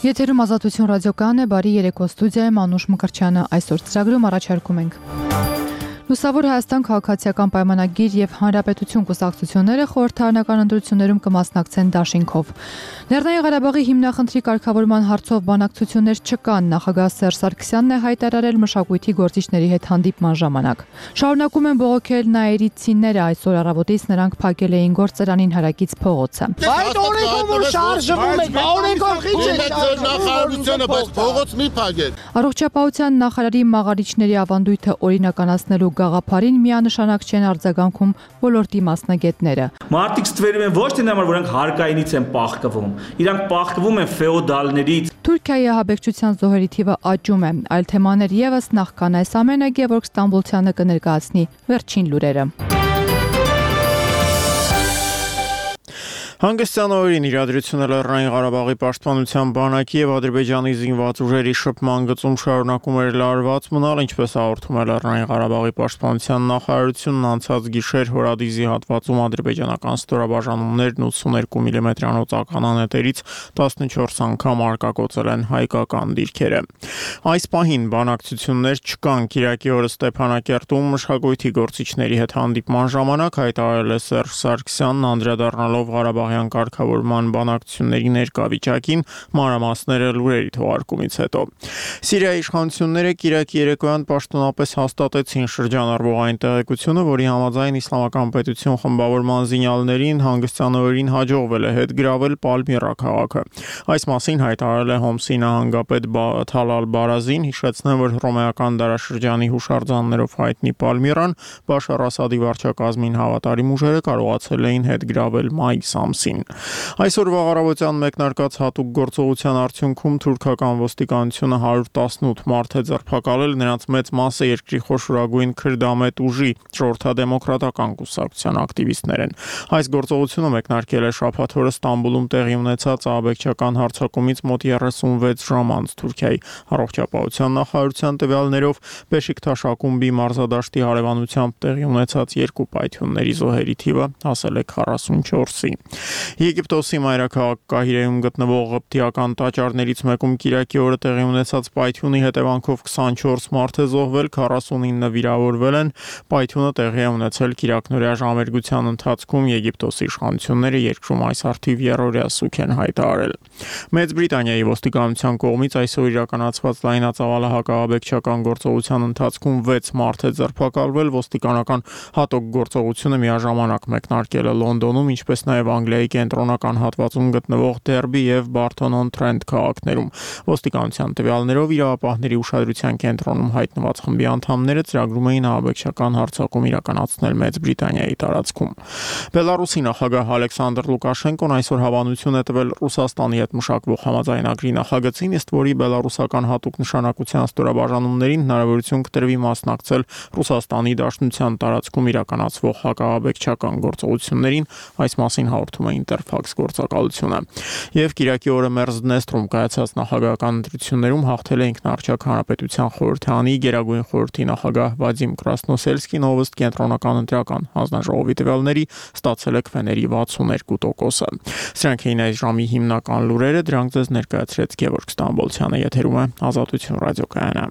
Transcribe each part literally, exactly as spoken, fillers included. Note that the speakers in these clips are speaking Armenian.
Եթերում Ազատություն ռադիոկայանն է, բարի երեկո, ստուդիայում Անուշ Մկրտչյանը, այսօր ծրագրում առաջարկում ենք. Լուսավոր Հայաստան քաղաքացիական պայմանագիր եւ Հանրապետություն կուսակցությունները խորհրդարանական ընտրություններում կմասնակցեն դաշինքով։ Լեռնային Ղարաբաղի հիմնախնդրի կարգավորման հարցով բանակցություններ չկան, նախագահ Սերժ Սարգսյանն է հայտարարել մշակույթի գործիչների հետ հանդիպման ժամանակ։ Շարունակում են բողոքել նաիրիցիները, այսօր առավոտից նրանք փակել էին գործարանին հարակից փողոցը։ Այդ օրենքով որ շարժվում եք, օրենքով ինչ է նախարարությունը, բայց փողոց մի փակեք։ Առողջապահության նախարարի մաղարիչների ավանդույթը օրինականացնելու գաղափարին միանշանակ չեն արձագանքում ոլորտի մասնագետները։ Մարդիկ ստվերում են ոչ թե նամար, որ նրանք հարկայինից են պահկվում, իրանք պահկվում են ֆեոդալներից։ Թուրքիայի ահաբեկչության զոհերի թիվը աճում է, այլ թեմաներ եւս նախքան այս ամենը Գևորգ Ստամբոլցյանը կներկայացնի վերջին լուրերը։ Հանգստյան օրերին իրադրությունը Լեռնային Ղարաբաղի պաշտպանության բանակի եւ Ադրբեջանի զինված ուժերի շփման գծում շարունակում էր լարված մնալ, ինչպես հաղորդում է Լեռնային Ղարաբաղի պաշտպանության նախարարությունն, անցած գիշեր Հորադիզի հատվածում ադրբեջանական ստորաբաժանումներն ութսուներկու միլիմետրանոց ականանետերից տասնչորս անգամ արկակոծել են հայկական դիրքերը։ Այս պահին բանակցություններ չկան, Կիրակի օրը Ստեփանակերտում մշակույթի գործիչների հետ հանդիպման ժամանակ հայտարարել է Սերժ Սարգսյանն, անդրադառնալով Ղարաբաղի կարգավորման բանակցությունների ներկա վիճակին, մանրամասները լուրերի թողարկումից հետո։ Սիրիայի իշխանությունները Կիրակի երեկոյան պաշտոնապես հաստատեցին շրջանառվողային տեղեկությունը, որի համաձայն Իսլամական պետություն խմբավորման զինյալներին հանգստյան օրերին հաջողվել է հետ գրավել Պալմիրա քաղաքը։ Այս մասին հայտարարել է Հոմսի նահանգապետ Թալալ Բարազին, հիշեցնեմ, որ հռոմեական դարաշրջանի հուշարձաններով հայտնի Պալմիրան Բաշար Ասադի վարչակազմին հավատարիմ ուժերը կարողացել էին հետ գրավել մայիս ամսին։ Այսօր վաղարավոտյան մեկնարկած հատուկ գործողության արդյունքում թուրքական ոստիկանությունը հարյուր տասնութ մարդ է ձերբակալել, նրանց մեծ մասը երկրի խոշորագույն քրդամետ ուժի ժողովրդադեմոկրատական կուսակցության ակտիվիստներ են։ Այս գործողությունը մեկնարկել է շաբաթ օրը Ստամբուլում տեղի ունեցած ահաբեկչական հարձակումից մոտ երեսունվեց ժամ անց Թուրքիայի առողջապահության նախարարության տվյալներով Բեշիկթաշ-ակումբի մարզադաշտի հարևանությամբ տեղի ունեցած երկու պայթյունների զոհերի թիվը հասել է քառասունչորսի։ Եգիպտոսի մայրաքաղաք Կահիրեում գտնվող ղպտիական տաճարներից մեկում Կիրակի օրը տեղի ունեցած պայթյունի հետևանքով քսանչորս մարդ է զոհվել, քառասունինը վիրավորվել են։ Պայթյունը տեղի է ունեցել կիրակնօրյա ժամերգության ընթացքում, Եգիպտոսի իշխանությունները երկրում այս արդիվ երրորդյա սուք են հայտարարել։ Մեծ Բրիտանիայի ոստիկանության կողմից այսօր իրականացված լայնածավալ հակահաբեկչական գործողության ընթացքում վեց մարդ է ձերբակալվել, ոստիկանական հատուկ գործողությունը միաժամանակ մեկնարկել է Լոնդոնում, ինչպես նաև Անգլիայի կենտրոնական հատվածում գտնվող Դերբի եւ Բարթոն-on-Թրենթ քաղաքներում։ Ոստիկանության տվյալներով իրավապահների ուշադրության կենտրոնում հայտնված խմբի անդամները ծրագրում էին ահաբեկչական հարձակում իրականացնել Մեծ Բրիտանիայի տարածքում։ Բելարուսի նախագահ Ալեքսանդր Լուկաշենկոն այսօր հավանություն է տվել Ռուսաստանի հետ մշակվող համաձայնագրի նախագծին, ըստ որի բելարուսական հատուկ նշանակության ստորաբաժանումներին հնարավորություն կտրվի մասնակցել Ռուսաստանի Դաշնության տարածքում իրականացվող հակահաբեկչական գործողություններին, այս մասին հաղորդում է Interfax գործակալությունը։ Եվ Կիրակի օրը Մերզդնեստրում կայացած նախագահական ընտրություններում հաղթել է ինքնարժեք հանրապետության խորհրդանի Գերագույն խորհրդի նախագահ Վադիմ Կրասնոսելսկին, ով ըստ կենտրոնական ընտրական հանձնաժողովի տվյալների ստացել է քվեների վաթսուններկու տոկոսը։ Սրանք էին այս ժամի հիմնական լուրերը, դրանք ձեզ ներկայացրեց Գևորգ Ստամբոլցյանը, եթերում է Ազատություն ռադիոկայանը։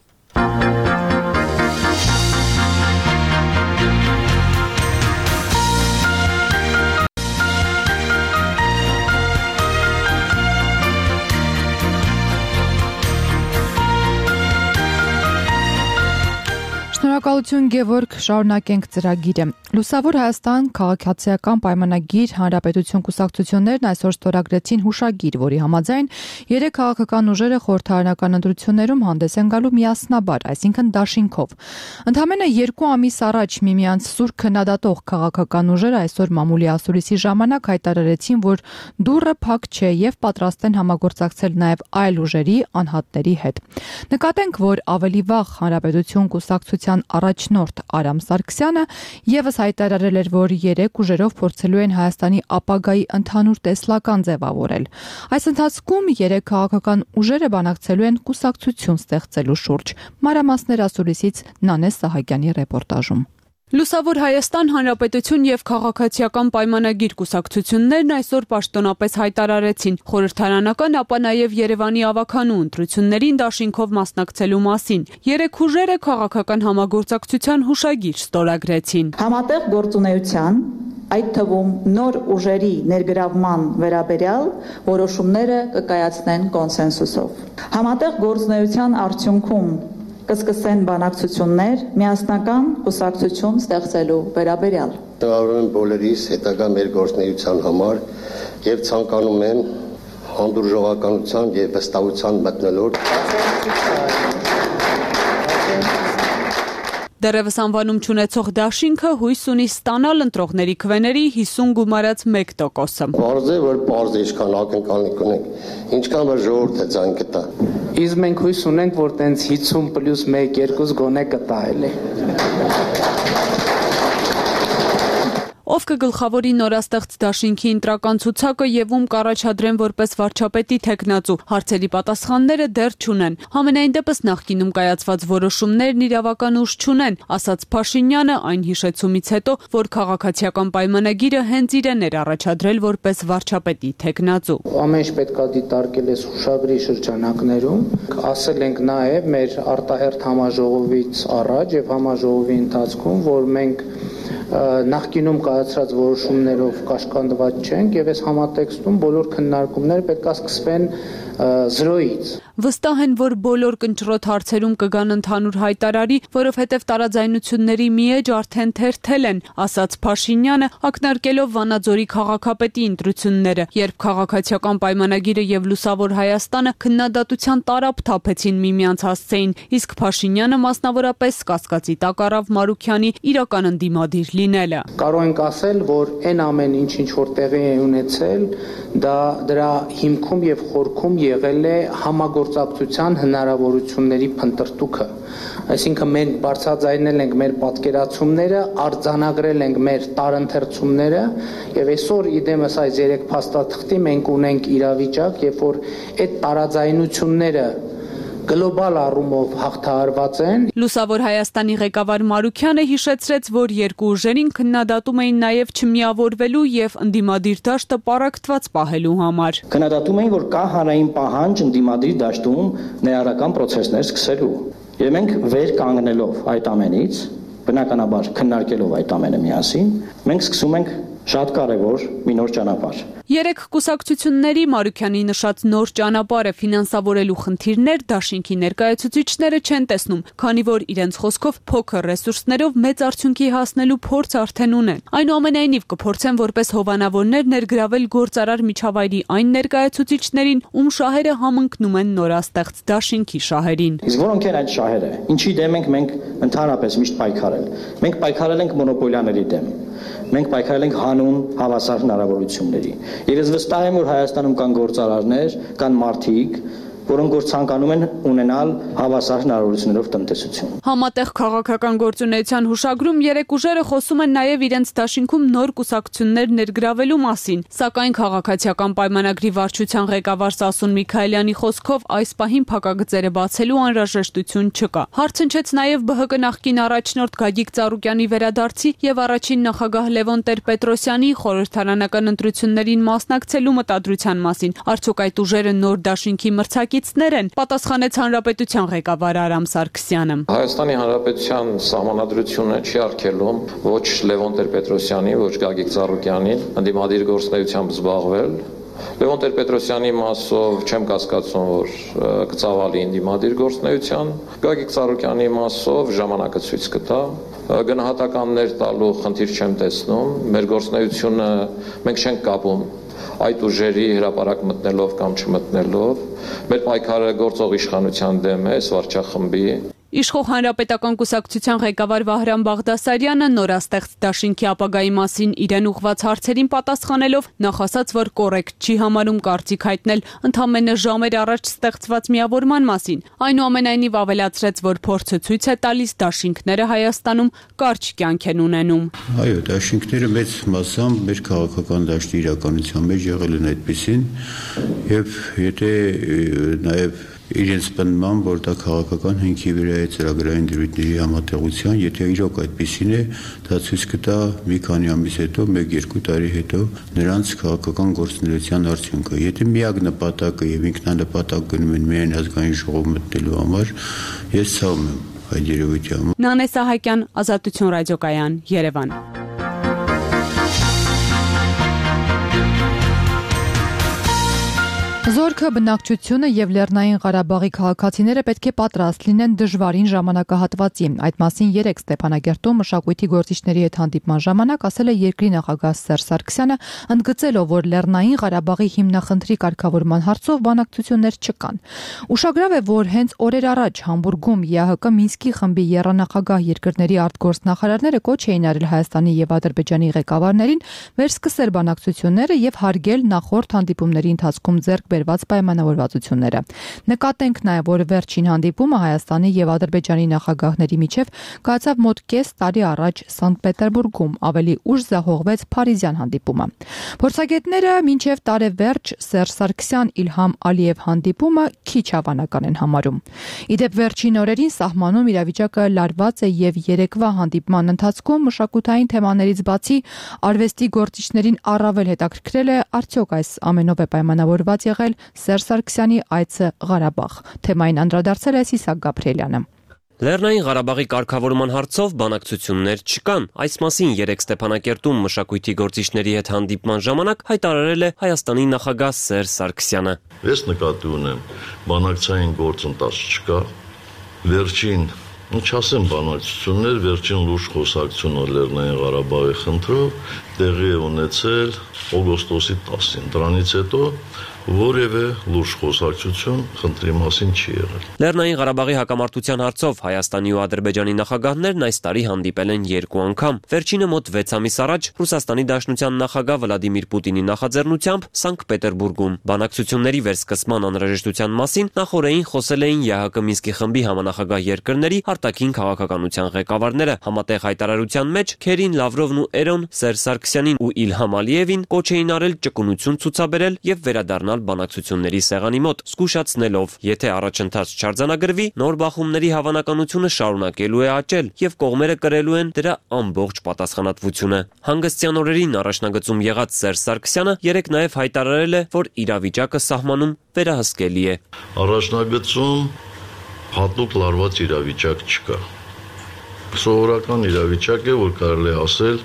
Շնորհակալություն Գևորգ, շարունակենք ծրագիրը։ Լուսավոր Հայաստան քաղաքացիական պայմանագիր Հանրապետություն կուսակցություններն այսօր ստորագրեցին հուշագիր, որի համաձայն երեք քաղաքական ուժերը խորհրդարանական ընտրություններում հանդես են գալու միասնաբար, այսինքն դաշինքով։ Ընդամենը երկու ամիս առաջ միմյանց սուր քննադատող քաղաքական ուժերը այսօր մամուլի ասուլիսի ժամանակ հայտարարեցին, որ դուռը փակ չէ եւ պատրաստ են համագործակցել նաեւ այլ ուժերի անհատների հետ։ Նկատենք, որ ավելի վաղ Հանրապետություն կուսակցության առաջնորդ Արամ Սարգսյանը եւս հայտարարել էր, որ երեք ուժերով փորձելու են Հայաստանի ապագայի ընդհանուր տեսլական ձևավորել։ Այս ընթացքում երեք քաղաքական ուժերը բանակցելու են կուսակցություն ստեղծելու շուրջ։ Մանրամասներ ասուլիսից Նանե Սահակյանի ռեպորտաժում։ Լուսավոր Հայաստան Հանրապետություն եւ քաղաքացիական պայմանագիր կուսակցություններն այսօր պաշտոնապես հայտարարեցին խորհրդարանական, ապա նաեւ Երևանի ավականու ընտրություններին դաշինքով մասնակցելու մասին։ Երեք ուժերը քաղաքական համագործակցության հուշագիր ստորագրեցին։ Համատեղ գործունեության, այդ թվում նոր ուժերի ներգրավման վերաբերյալ որոշումները կկայացնեն կոնսենսուսով։ Համատեղ գործունեության արդյունքում կսկսեն բանակցություններ միասնական կուսակցություն ստեղծելու վերաբերյալ։ Շնորհավորում եմ բոլորիս հետագա մեր գործունեության համար եւ ցանկանում եմ հանդուրժողականության եւ վստահության մթնոլորտ։ Դեռևս անվանում չունեցող դաշինքը հույս ունի ստանալ ընտրողների քվեների հիսուն գումարած մեկ տոկոսը։ Պարզ է, որ պարզ է ինչքան ակնկալիք ունենք, ինչքան որ ժողովուրդը ձայն կտա։ Իսկ մենք հույս ունենք, որ տենց հիսուն պլյուս մեկ երկու գոնե կտա էլի։ Ով կգլխավորի նորաստեղծ դաշինքի ընտրական ցուցակը եւ ում կառաջադրեն որպես վարչապետի թեկնածու, հարցերի պատասխանները դեռ չունեն։ Համենայն դեպս նախկինում կայացված որոշումներն իրավական ուժ չունեն, ասաց Փաշինյանը այն հիշեցումից հետո, որ քաղաքացիական պայմանագիրը հենց իրեն էր առաջադրել որպես վարչապետի թեկնածու։ Ամեն ինչ պետքա դիտարկել էս հուշագրի շրջանակներում, ասել ենք նաեւ մեր արտահերթ համաժողովից առաջ եւ համաժողովի ընթացքում, որ մենք նախկինում կայացրած որոշումներով կաշկանդված չենք եւ այս համատեքստում բոլոր քննարկումները պետք է սկսվեն զրոյից։ Վստահ են, որ բոլոր կնճռոտ հարցերում կգան ընդհանուր հայտարարի, որովհետև տարաձայնությունների մի էջ արդեն թերթել են, ասաց Փաշինյանը, ակնարկելով Վանաձորի քաղաքապետի ընտրությունները, երբ քաղաքացիական պայմանագիրը եւ Լուսավոր Հայաստանը քննադատության տարապ թափեցին միմյանց հասցեին, իսկ Փաշինյանը մասնավորապես կասկածի տակ առավ Մարուքյանի իրական ընդդիմադիր լինելը։ Կարող ենք ասել, որ այն ամեն ինչ, ինչ որ տեղի է ունեցել, դա դրա հիմքում եւ խորքում եղել է համագործակցության հնարավորությունների փնտրտուքը։ Այսինքն մենք բարձրաձայնել ենք մեր պատկերացումները, արձանագրել ենք մեր տարընթերցումները եւ այսօր իդեմս այս երեք փաստաթղթի մենք ունենք իրավիճակ, երբ որ այդ տարաձայնությունները գլոբալ առումով հաղթահարված են։ Լուսավոր Հայաստանի ղեկավար Մարուքյանը հիշեցրեց, որ երկու ուժերին քննադատում էին նաև չմիավորվելու եւ ընդդիմադիր դաշտը պարակտված պահելու համար։ Քննադատում էին, որ կա հանրային պահանջ ընդդիմադիր դաշտում ներառական process-ներ սկսելու։ Եվ մենք վեր կանգնելով այդ ամենից, բնականաբար քննարկելով այդ ամենը միասին, մենք սկսում ենք շատ կարևոր մի նոր ճանապարհ։ Երեք կուսակցությունների Մարուքյանի նշած նոր ճանապարհը ֆինանսավորելու խնդիրներ դաշինքի ներկայացուցիչները չեն տեսնում, քանի որ իրենց խոսքով փոքր ռեսուրսներով մեծ արդյունքի հասնելու փորձ արդեն ունեն։ Այնուամենայնիվ կփորձեն որպես հովանավորներ ներգրավել գործարար միջավայրի այն ներկայացուցիչներին, ում շահերը համընկնում են նորաստեղծ դաշինքի շահերին։ Իսկ որոնք են այդ շահերը։ Ինչի դեմ ենք մենք ընդհանրապես միշտ պայքարել։ Մենք պայքարել ենք մոնոպոլիաների դեմ։ Մենք պայքարել ենք հանուն հավասար հնարավորությունների։ Եվ ես վստահ եմ, որ Հայաստանում կան գործարարներ, կան մարդիկ, որոնք որ ցանկանում են ունենալ հավասար հնարավորություններով տնտեսություն։ Համատեղ քաղաքական գործունեության հուշագրում երեք ուժերը խոսում են նաև իրենց դաշինքում նոր կուսակցություններ ներգրավելու մասին, սակայն քաղաքացիական պայմանագրի վարչության ղեկավար Սասուն Միքայելյանի խոսքով այս պահին փակագծերը բացելու անհրաժեշտություն չկա։ Հարց հնչեց նաև Բ Հ Կ նախկին առաջնորդ Գագիկ Ծառուկյանի վերադարձի եւ առաջին նախագահ Լևոն Տեր-Պետրոսյանի խորհրդարանական ընտրություններին մասնակցելու մտադրության մասին։ Արդյոք այդ ուժերը նոր դաշինքի մրցակիցներ են, պատասխանեց Հանրապետության ղեկավար Արամ Սարգսյանը։ Հայաստանի Հանրապետության սահմանադրությունը չի արգելում ոչ Լևոն Տեր-Պետրոսյանի, ոչ Գագիկ Ծառուկյանին ընդդիմադիր գործունեությամբ զբաղվել։ Լևոն Տեր-Պետրոսյանի մասով չեմ կասկածում, որ կծավալի ընդդիմադիր գործունեության, Գագիկ Ծառուկյանի մասով ժամանակը ցույց կտա։ Գնահատականներ տալու խնդիր չեմ տեսնում, մեր գործունեությունը մենք չենք կապում այդ ուժերի հրապարակ մտնելով կամ չմտնելով, մեր պայքարը գործող իշխանության դեմ է, վարչախմբի։ Իշխող Հանրապետական կուսակցության ղեկավար Վահրամ Բաղդասարյանը նորաստեղծ դաշինքի ապագայի մասին իրեն ուղղված հարցերին պատասխանելով նախ ասաց, որ կոռեկտ չի համարում կարծիք հայտնել ընդամենը ժամեր առաջ ստեղծված միավորման մասին։ Այնուամենայնիվ ավելացրեց, որ փորձը ցույց է տալիս դաշինքները Հայաստանում կարճ կյանք են ունենում։ Այո, դաշինքները մեծ մասամբ մեր քաղաքական դաշտի իրականության մեջ եղել են այդպիսին, եւ եթե նաեւ իրենց պնդման, որ դա քաղաքական հնքի վրա է ծրագրային դրույթների համատեղության, եթե իրոք այդպեսին է, դա ցույց կտա մի քանի ամիս հետո, մեկ-երկու տարի հետո նրանց քաղաքական գործունեության արդյունքը։ Եթե միակ նպատակը եւ ինքնանպատակ գնում են միայն ազգային ժողով մտնելու համար, ես ցավում եմ այդ երևույթի համար։ Նանե Սահակյան, Ազատություն ռադիոկայան, Երևան։ Զորքը, բնակչությունը եւ Լեռնային Ղարաբաղի քաղաքացիները պետք է պատրաստ լինեն դժվարին ժամանակահատվածի։ Այդ մասին երեկ Ստեփանագերտում մշակույթի գործիչների հետ հանդիպման ժամանակ ասել է երկրի նախագահ Սերժ Սարգսյանը, ընդգծելով, որ Լեռնային Ղարաբաղի հիմնախնդրի կարգավորման հարցով բանակցություններ չկան։ Ուշագրավ է, որ հենց օրեր առաջ Համբուրգում ԵԱՀԿ Մինսկի խմբի եռանախագահ երկրների արտգործնախարարները կոչ էին արել Հայաստանի եւ Ադրբեջանի ղեկավարներին վերսկսել բանակցությունները եւ հարգել նախորդ հանդիպումների ընթացքում ձեռք բերված պայմանավորվածությունները։ Նկատենք նաև, որ վերջին հանդիպումը Հայաստանի եւ Ադրբեջանի նախագահների միջև կայացավ մոտ կես տարի առաջ Սանկտ Պետերբուրգում, ավելի ուշ զահողվեց Փարիզյան հանդիպումը։ Փորձագետները մինչև տարեվերջ Սերժ Սարգսյան Իլհամ Ալիև հանդիպումը քիչ հավանական են համարում։ Իդեպ վերջին օրերին սահմանում իրավիճակը լարված է եւ երեկվա հանդիպման ընթացքում մշակութային թեմաներից բացի արվեստի գործիչներին առավել հետաքրքրել է արդյոք այս ամենով է պայմանավորված եղել Սերժ Սարգսյանի այցը Ղարաբաղ։ Թեմային անդրադարձել է Սիսակ Գաբրիելյանը։ Լեռնային Ղարաբաղի կարգավորման հարցով բանակցություններ չկան։ Այս մասին երեկ Ստեփանակերտում մշակույթի գործիչների հետ հանդիպման ժամանակ հայտարարել է Հայաստանի նախագահ Սերժ Սարգսյանը։ Ես նկատի ունեմ, բանակցային գործընթաց չկա։ Վերջին, չասեմ բանակցություններ, վերջին լուրջ խոսակցությունը Լեռնային Ղարաբաղի խնդրով տեղի է ունեցել օգոստոսի տասին։ Դրանից հետո որևէ լուրջ խոսակցություն խնդրի մասին չի եղել։ Լեռնային Ղարաբաղի հակամարտության հարցով Հայաստանի ու Ադրբեջանի նախագահներն այս տարի հանդիպել են երկու անգամ։ Վերջինը մոտ վեց ամիս առաջ Ռուսաստանի Դաշնության նախագահ Վլադիմիր Պուտինի նախաձեռնությամբ Սանկտ Պետերբուրգում։ Բանակցությունների վերսկսման անհրաժեշտության մասին նախորդին խոսել էին ԵԱՀԿ Մինսկի խմբի համանախագահ երկրների արտաքին քաղաքականության ղեկավարները։ Համատեղ հայտարարության մեջ Քերին, Լավրովն ու Էրոն Սերժ Սարգսյանին ու Իլհամ Ալիևին կոչ էին արել ճկունություն ցուցաբերել եւ վերադառնալ բանակցությունների սեղանի մոտ, զգուշացնելով, եթե առաջընթաց չարձանագրվի, նոր բախումների հավանականությունը շարունակելու է աճել եւ կողմերը կրելու են դրա ամբողջ պատասխանատվությունը։ Հանգստյան օրերին առաջնագծում եղած Սերժ Սարգսյանը երեկ նաեւ հայտարարել է, որ իրավիճակը սահմանում վերահսկելի է։ Առաջնագծում հատուկ լարված իրավիճակ չկա։ Սովորական իրավիճակ է, որ կարելի է ասել,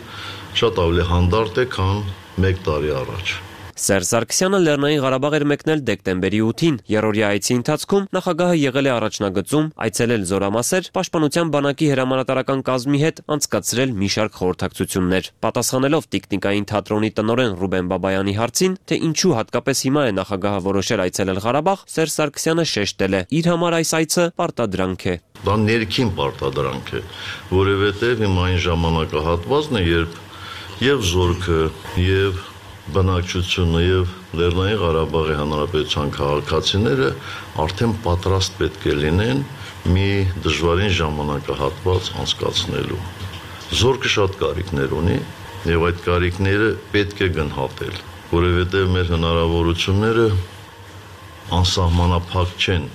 շատ ավելի հանդարտ է, քան մեկ տարի առաջ։ Սերժ Սարգսյանը Լեռնային Ղարաբաղ էր մեկնել դեկտեմբերի ութին։ Երրորդյա այցի ընթացքում նախագահը եղել է առաջնագծում, այցելել Զորամասեր, Պաշտպանության բանակի հրամանատարական կազմի հետ անցկացրել մի շարք խորհրդակցություններ։ Պատասխանելով Տիկնիկային թատրոնի տնօրեն Ռուբեն Բաբայանի հարցին, թե ինչու հատկապես հիմա է նախագահը որոշել այցելել Ղարաբաղ, Սերժ Սարգսյանը շեշտել է. իր համար այս այցը պարտադրանք է։ Դա ներքին պարտադրանք է, որովհետև հիմա այն ժամանակահատվածն է, երբ եւ զորքը եւ բնակչությունը եւ Լեռնային Ղարաբաղի Հանրապետության քաղաքացիները արդեն պատրաստ պետք է լինեն մի դժվարին ժամանակահատված անցկացնելու։ Զորքը շատ կարիքներ ունի եւ այդ կարիքները պետք է գնահատել, որովհետեւ մեր հնարավորությունները անսահմանափակ չեն,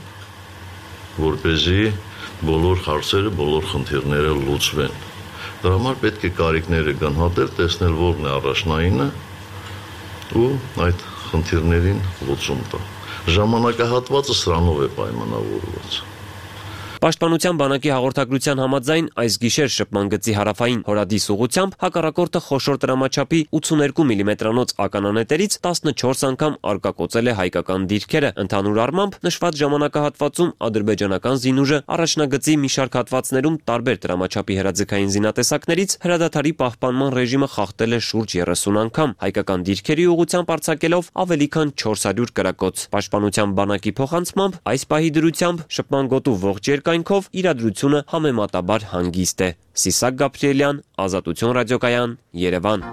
որպեսզի բոլոր հարցերը, բոլոր խնդիրները լուծվեն։ Դրա համար պետք է կարիքները գնահատել, տեսնել որն է առաջնայինը ու այդ խնդիրներին լուծում տա։ Ժամանակահատվածը սրանով է պայմանավորված։ Պաշտպանության բանակի հաղորդագրության համաձայն այս գիշեր շփման գծի հարավային հորադիս ուղությամբ հակառակորդը խոշոր տրամաչափի ութսուներկու միլիմետրանոց ականանետերից տասնչորս անգամ արկակոծել է հայկական դիրքերը։ Ընդհանուր առմամբ նշված ժամանակահատվածում ադրբեջանական զինուժը առաջնագծի մի շարք հատվածներում տարբեր տրամաչափի հրաձգային զինատեսակներից հրադադարի պահպանման ռեժիմը խախտել է շուրջ երեսուն անգամ, հայկական դիրքերի ուղղությամբ արձակելով ավելի քան չորս հարյուր կրակոց։ Պաշտպանության բանակի փոխանցմամբ այս պահի դրությամբ շփման գոտու ողջ երկայնքով իրադրությունը համեմատաբար հանգիստ է։ Սիսակ Գաբրիելյան, Ազատություն ռադիոկայան, Երևան։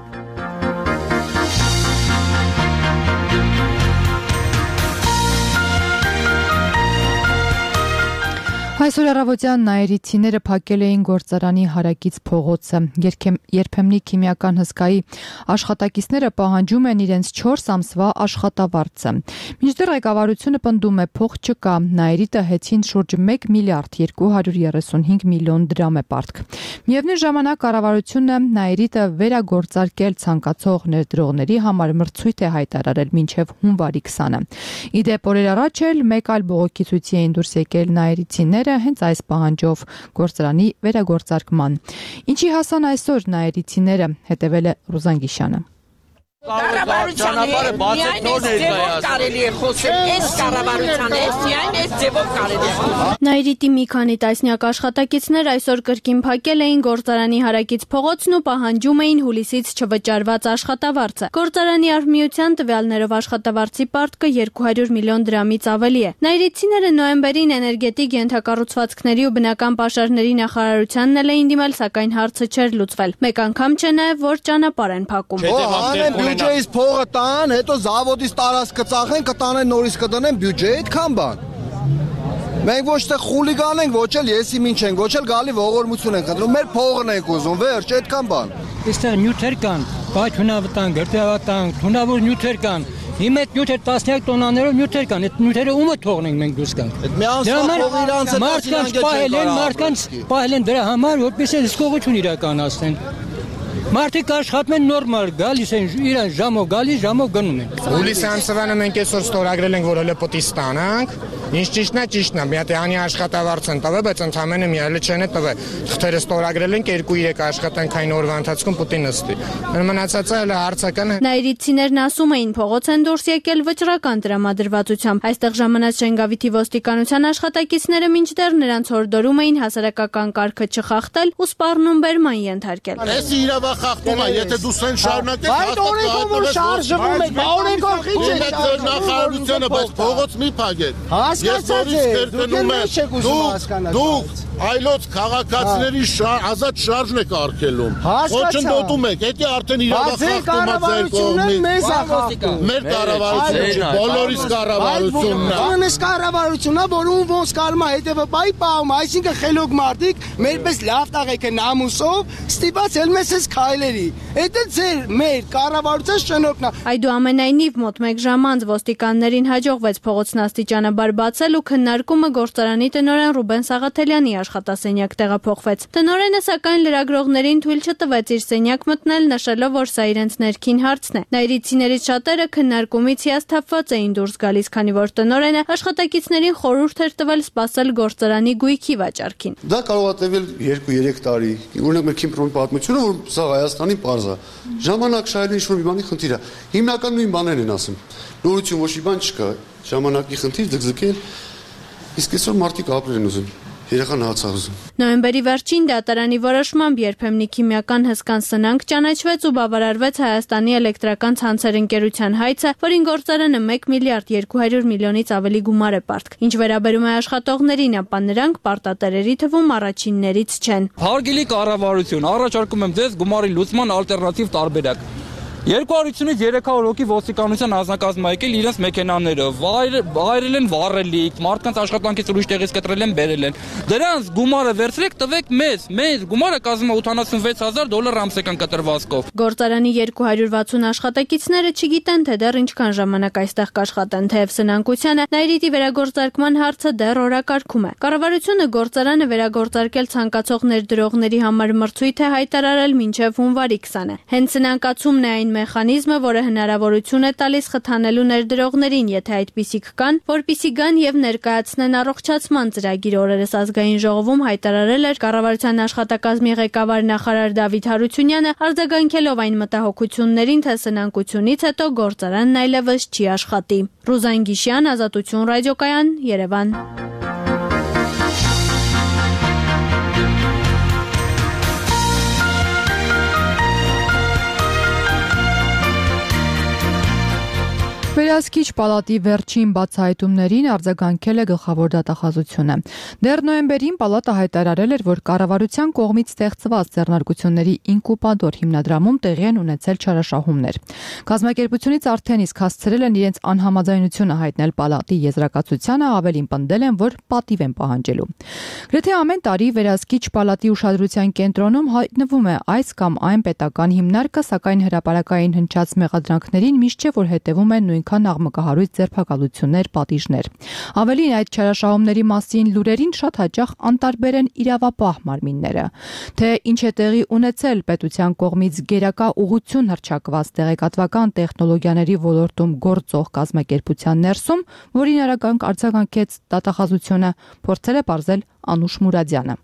Այսօր առավոտյան նայիրիցիները փակել էին գործարանի հարակից փողոցը։ Երբեմնի քիմիական հսկայի աշխատակիցները պահանջում են իրենց չորս ամսվա աշխատավարձը։ Մինչդեռ ղեկավարությունը պնդում է փող չկա, նայիրիտը հեծին շուրջ մեկ միլիարդ երկու հարյուր երեսունհինգ միլիոն դրամ է պարտք։ Միևնույն ժամանակ կառավարությունը նայիրիտը վերագործարկել ցանկացող ներդրողների համար մրցույթ է հայտարարել մինչև հունվարի քսանը։ Իդեպ օրեր առաջ էլ մեկ այլ բողոքի ցույցի էին դուրս եկել նայիրիցիները հենց այս պահանջով գործարանի վերագործարկման։ Ինչի հասան այսօր նայիրիցիները, հետևել է Ռուզան Գիշյանը։ Կառավարությանը միայն այս ձևով կարելի է խոսել, այս կառավարությանը միայն այս ձևով կարելի է խոսել։ Նայիրիտի մի քանի տասնյակ աշխատակիցներ այսօր կրկին փակել էին գործարանի հարակից փողոցն ու պահանջում էին հուլիսից չվճարված աշխատավարձը։ Գործարանի արհմիության տվյալներով աշխատավարձի պարտքը երկու հարյուր միլիոն դրամից ավելի է։ Նայիրիտցիները նոյեմբերին էներգետիկ ենթակառուցվածքների ու բնական պաշարների նախարարությանն էլ էին դիմել, սակայն հարցը չէր լուծվել։ Մեկ անգամ չէ նաև, որ ճանապարհ են փակում։ Բյուջեից փողը տան, հետո զավոդից տարածքը ծախեն, կտանեն նորից կդնեն բյուջեի այդքան բան։ Մենք ոչ թե խուլիգան ենք, ոչ էլ եսի ինչ ենք, ոչ էլ գալի ողորմություն ենք խնդրում, մեր փողն ենք ուզում, վերջ, այդքան բան։ Այստեղ նյութեր կան, բայց հունավտանգ, գրտեհավտանգ, հունավոր նյութեր կան։ Իմ այդ նյութեր տասնյակ տոնաներով նյութեր կան, այդ նյութերը ումը թողնենք մենք դուրս գանք։ Այդ մի անսա փող իրանց է մարդկանց պահել են, մարդկանց պահել են դրա համար, որպեսզի հսկողություն իրականացնեն։ Մարդիկ աշխատում են նորմալ, գալիս են իրան ժամով գալիս, ժամով գնում են։ Հուլիսի ամսվանը մենք այսօր ստորագրել ենք, որ հələ պետք է ստանանք։ Ինչ ճիշտն է, ճիշտն է։ Մի հատ անի աշխատավարձ են տվել, բայց ընդամենը մի այլ չեն տվել։ Թղթերը ստորագրել ենք երկու երեք աշխատանքային օրվա ընթացքում պետք է նստի։ Մնացածը հələ հարցական է։ Նայիրիցիներն ասում էին, փողոց են դուրս եկել վճռական տրամադրվածությամբ։ Այստեղ ժամանած Շենգավիթի ոստիկանության աշխատակիցները մինչդեռ նրանց հորդորում էին հասարակական կարգը չխախտել ու սպառնում բերման ենթարկել։ Այս իրավա խախտում է, եթե դու սեն շարունակես, այդ օրենքով շարժվում եք, օրենքով քիչ է շարժվում։ Նախարարությունը, բայց փողոց մի փակեք։ Հասկացած եք, դուք եք ուզում հասկանալ։ Դուք այլոց քաղաքացիների ազատ շարժն եք արգելում։ Ոչնդոտում եք, դա արդեն իրավա խախտում է ձեր կողմից։ Մեզ է խախտում։ Մեր կառավարությունը, բոլորիս կառավարությունն է։ Այս կառավարությունն է, որ ում ոնց կարում է հետևը բայ պահում, այսինքն խելոք մարդիկ, մերպես լավ տաղեք են ամուսով, ստիպած էլ մեզ էս քայլերի։ Դա ձեր մեր կառավարության շնորհքն է։ Այդուամենայնիվ մոտ մեկ ժամ անց ոստիկաններին հաջողվեց փողոցն աստիճանաբար բացել ու քննարկումը գործարանի տնօրեն Ռուբեն Սաղաթելյանի աշխատասենյակ տեղափոխվեց։ Տնօրենը սակայն լրագրողներին թույլ չտվեց իր սենյակ մտնել, նշելով, որ սա իրենց ներքին հարցն է։ Նայիրիցիներից շատերը քննարկումից հիասթափված էին դուրս գալիս, քանի որ տնօրենը աշխատակիցներին խորհուրդ էր տվել սպասել գործարանի գույքի վաճառքին։ Դա կարող է տևել երկու երեք տարի։ Օրինակ մեր Քիմպրոմի պատմությունը, որ սա Հայաստանի պարզ է։ Ժամանակ շահելը ինչ-որ մի բանի խնդիր է։ Հիմնական նույն բաներն են ասում։ Նորություն ոչ մի բան չկա։ Ժամանակի խնդիր ձգձգել։ Իսկ այսօր մարդիկ ապրել են ուզում։ Երեխան հացավ ուզում։ Նոյեմբերի վերջին դատարանի որոշմամբ երբեմնի քիմիական հսկան սնանկ ճանաչվեց ու բավարարվեց Հայաստանի էլեկտրական ցանցեր ընկերության հայցը, որին գործարանը մեկ միլիարդ երկու հարյուր միլիոնից ավելի գումար է պարտք։ Ինչ վերաբերում է աշխատողներին, ապա նրանք պարտատերերի թվում առաջիններից չեն։ Հարգելի կառավարություն, առաջարկում եմ ձեզ գումարի լուծման ալտերնատիվ տարբերակ։ երկու հարյուրից երեք հարյուր հոգի ոստիկանության անձնակազմը եկել իրենց մեքենաները, վայրել են վառելիք, մարդկանց աշխատանքից ուրիշ տեղից կտրել են, բերել են։ Դրանց գումարը վերցրեք, տվեք մեզ, մեզ գումարը կազմում է ութանասունվեց հազար դոլար ամսական կտրվածքով։ Գործարանի երկու հարյուր վաթսուն աշխատակիցները չգիտեն, թե դեռ ինչքան ժամանակ այստեղ կաշխատեն, թեև սնանկությանը Նայիրիտի վերագործարկման հարցը դեռ օրակարգում է։ Կառավարությունը գործարանը վերագործարկել ցանկացող ներդրողների համար մրցույթ է հայտարարել մինչև հունվարի քսանը։ Հենց սնանկացումն է այն մեխանիզմը, որը հնարավորություն է տալիս խթանելու ներդրողներին, եթե այդպիսիք կան, որպիսի գան եւ ներկայացնեն առողջացման ծրագիր։ Օրերս ազգային ժողովում հայտարարել էր կառավարության աշխատակազմի ղեկավար նախարար Դավիթ Հարությունյանը, արձագանքելով այն մտահոգություններին, թե սնանկությունից հետո գործարանն այլևս չի աշխատի։ Ռուզան Գիշյան, Ազատություն ռադիոկայան, Երևան։ Վերահսկիչ պալատի վերջին բացահայտումներին արձագանքել է գլխավոր դատախազությունը։ Դեռ նոյեմբերին պալատը հայտարարել էր, որ կառավարության կողմից ստեղծված ձեռնարկությունների ինկուբատոր հիմնադրամում տեղի են ունեցել չարաշահումներ։ Կազմակերպությունից արդեն իսկ հասցրել են իրենց անհամաձայնությունը հայտնել պալատի եզրակացությանը, ավելին պնդել են, որ պատիվ են պահանջելու։ Գրեթե ամեն տարի վերահսկիչ պալատի ուշադրության կենտրոնում հայտնվում է այս կամ այն պետական հիմնարկը, սակայն հրապարակային հնչած մեղադրանքներին միշտ չէ, որ հետևում են նույնքան աղմկահարույց ձերբակալություններ, պատիժներ։ Ավելին, այդ չարաշահումների մասին լուրերին շատ հաճախ անտարբեր են իրավապահ մարմինները։ Թե ինչ է տեղի ունեցել պետության կողմից գերակա ուղղություն հռչակված տեղեկատվական տեխնոլոգիաների ոլորտում գործող կազմակերպության ներսում, որին արագ արձագանքեց դատախազությունը, փորձել է պարզել Անուշ Մուրադյանը։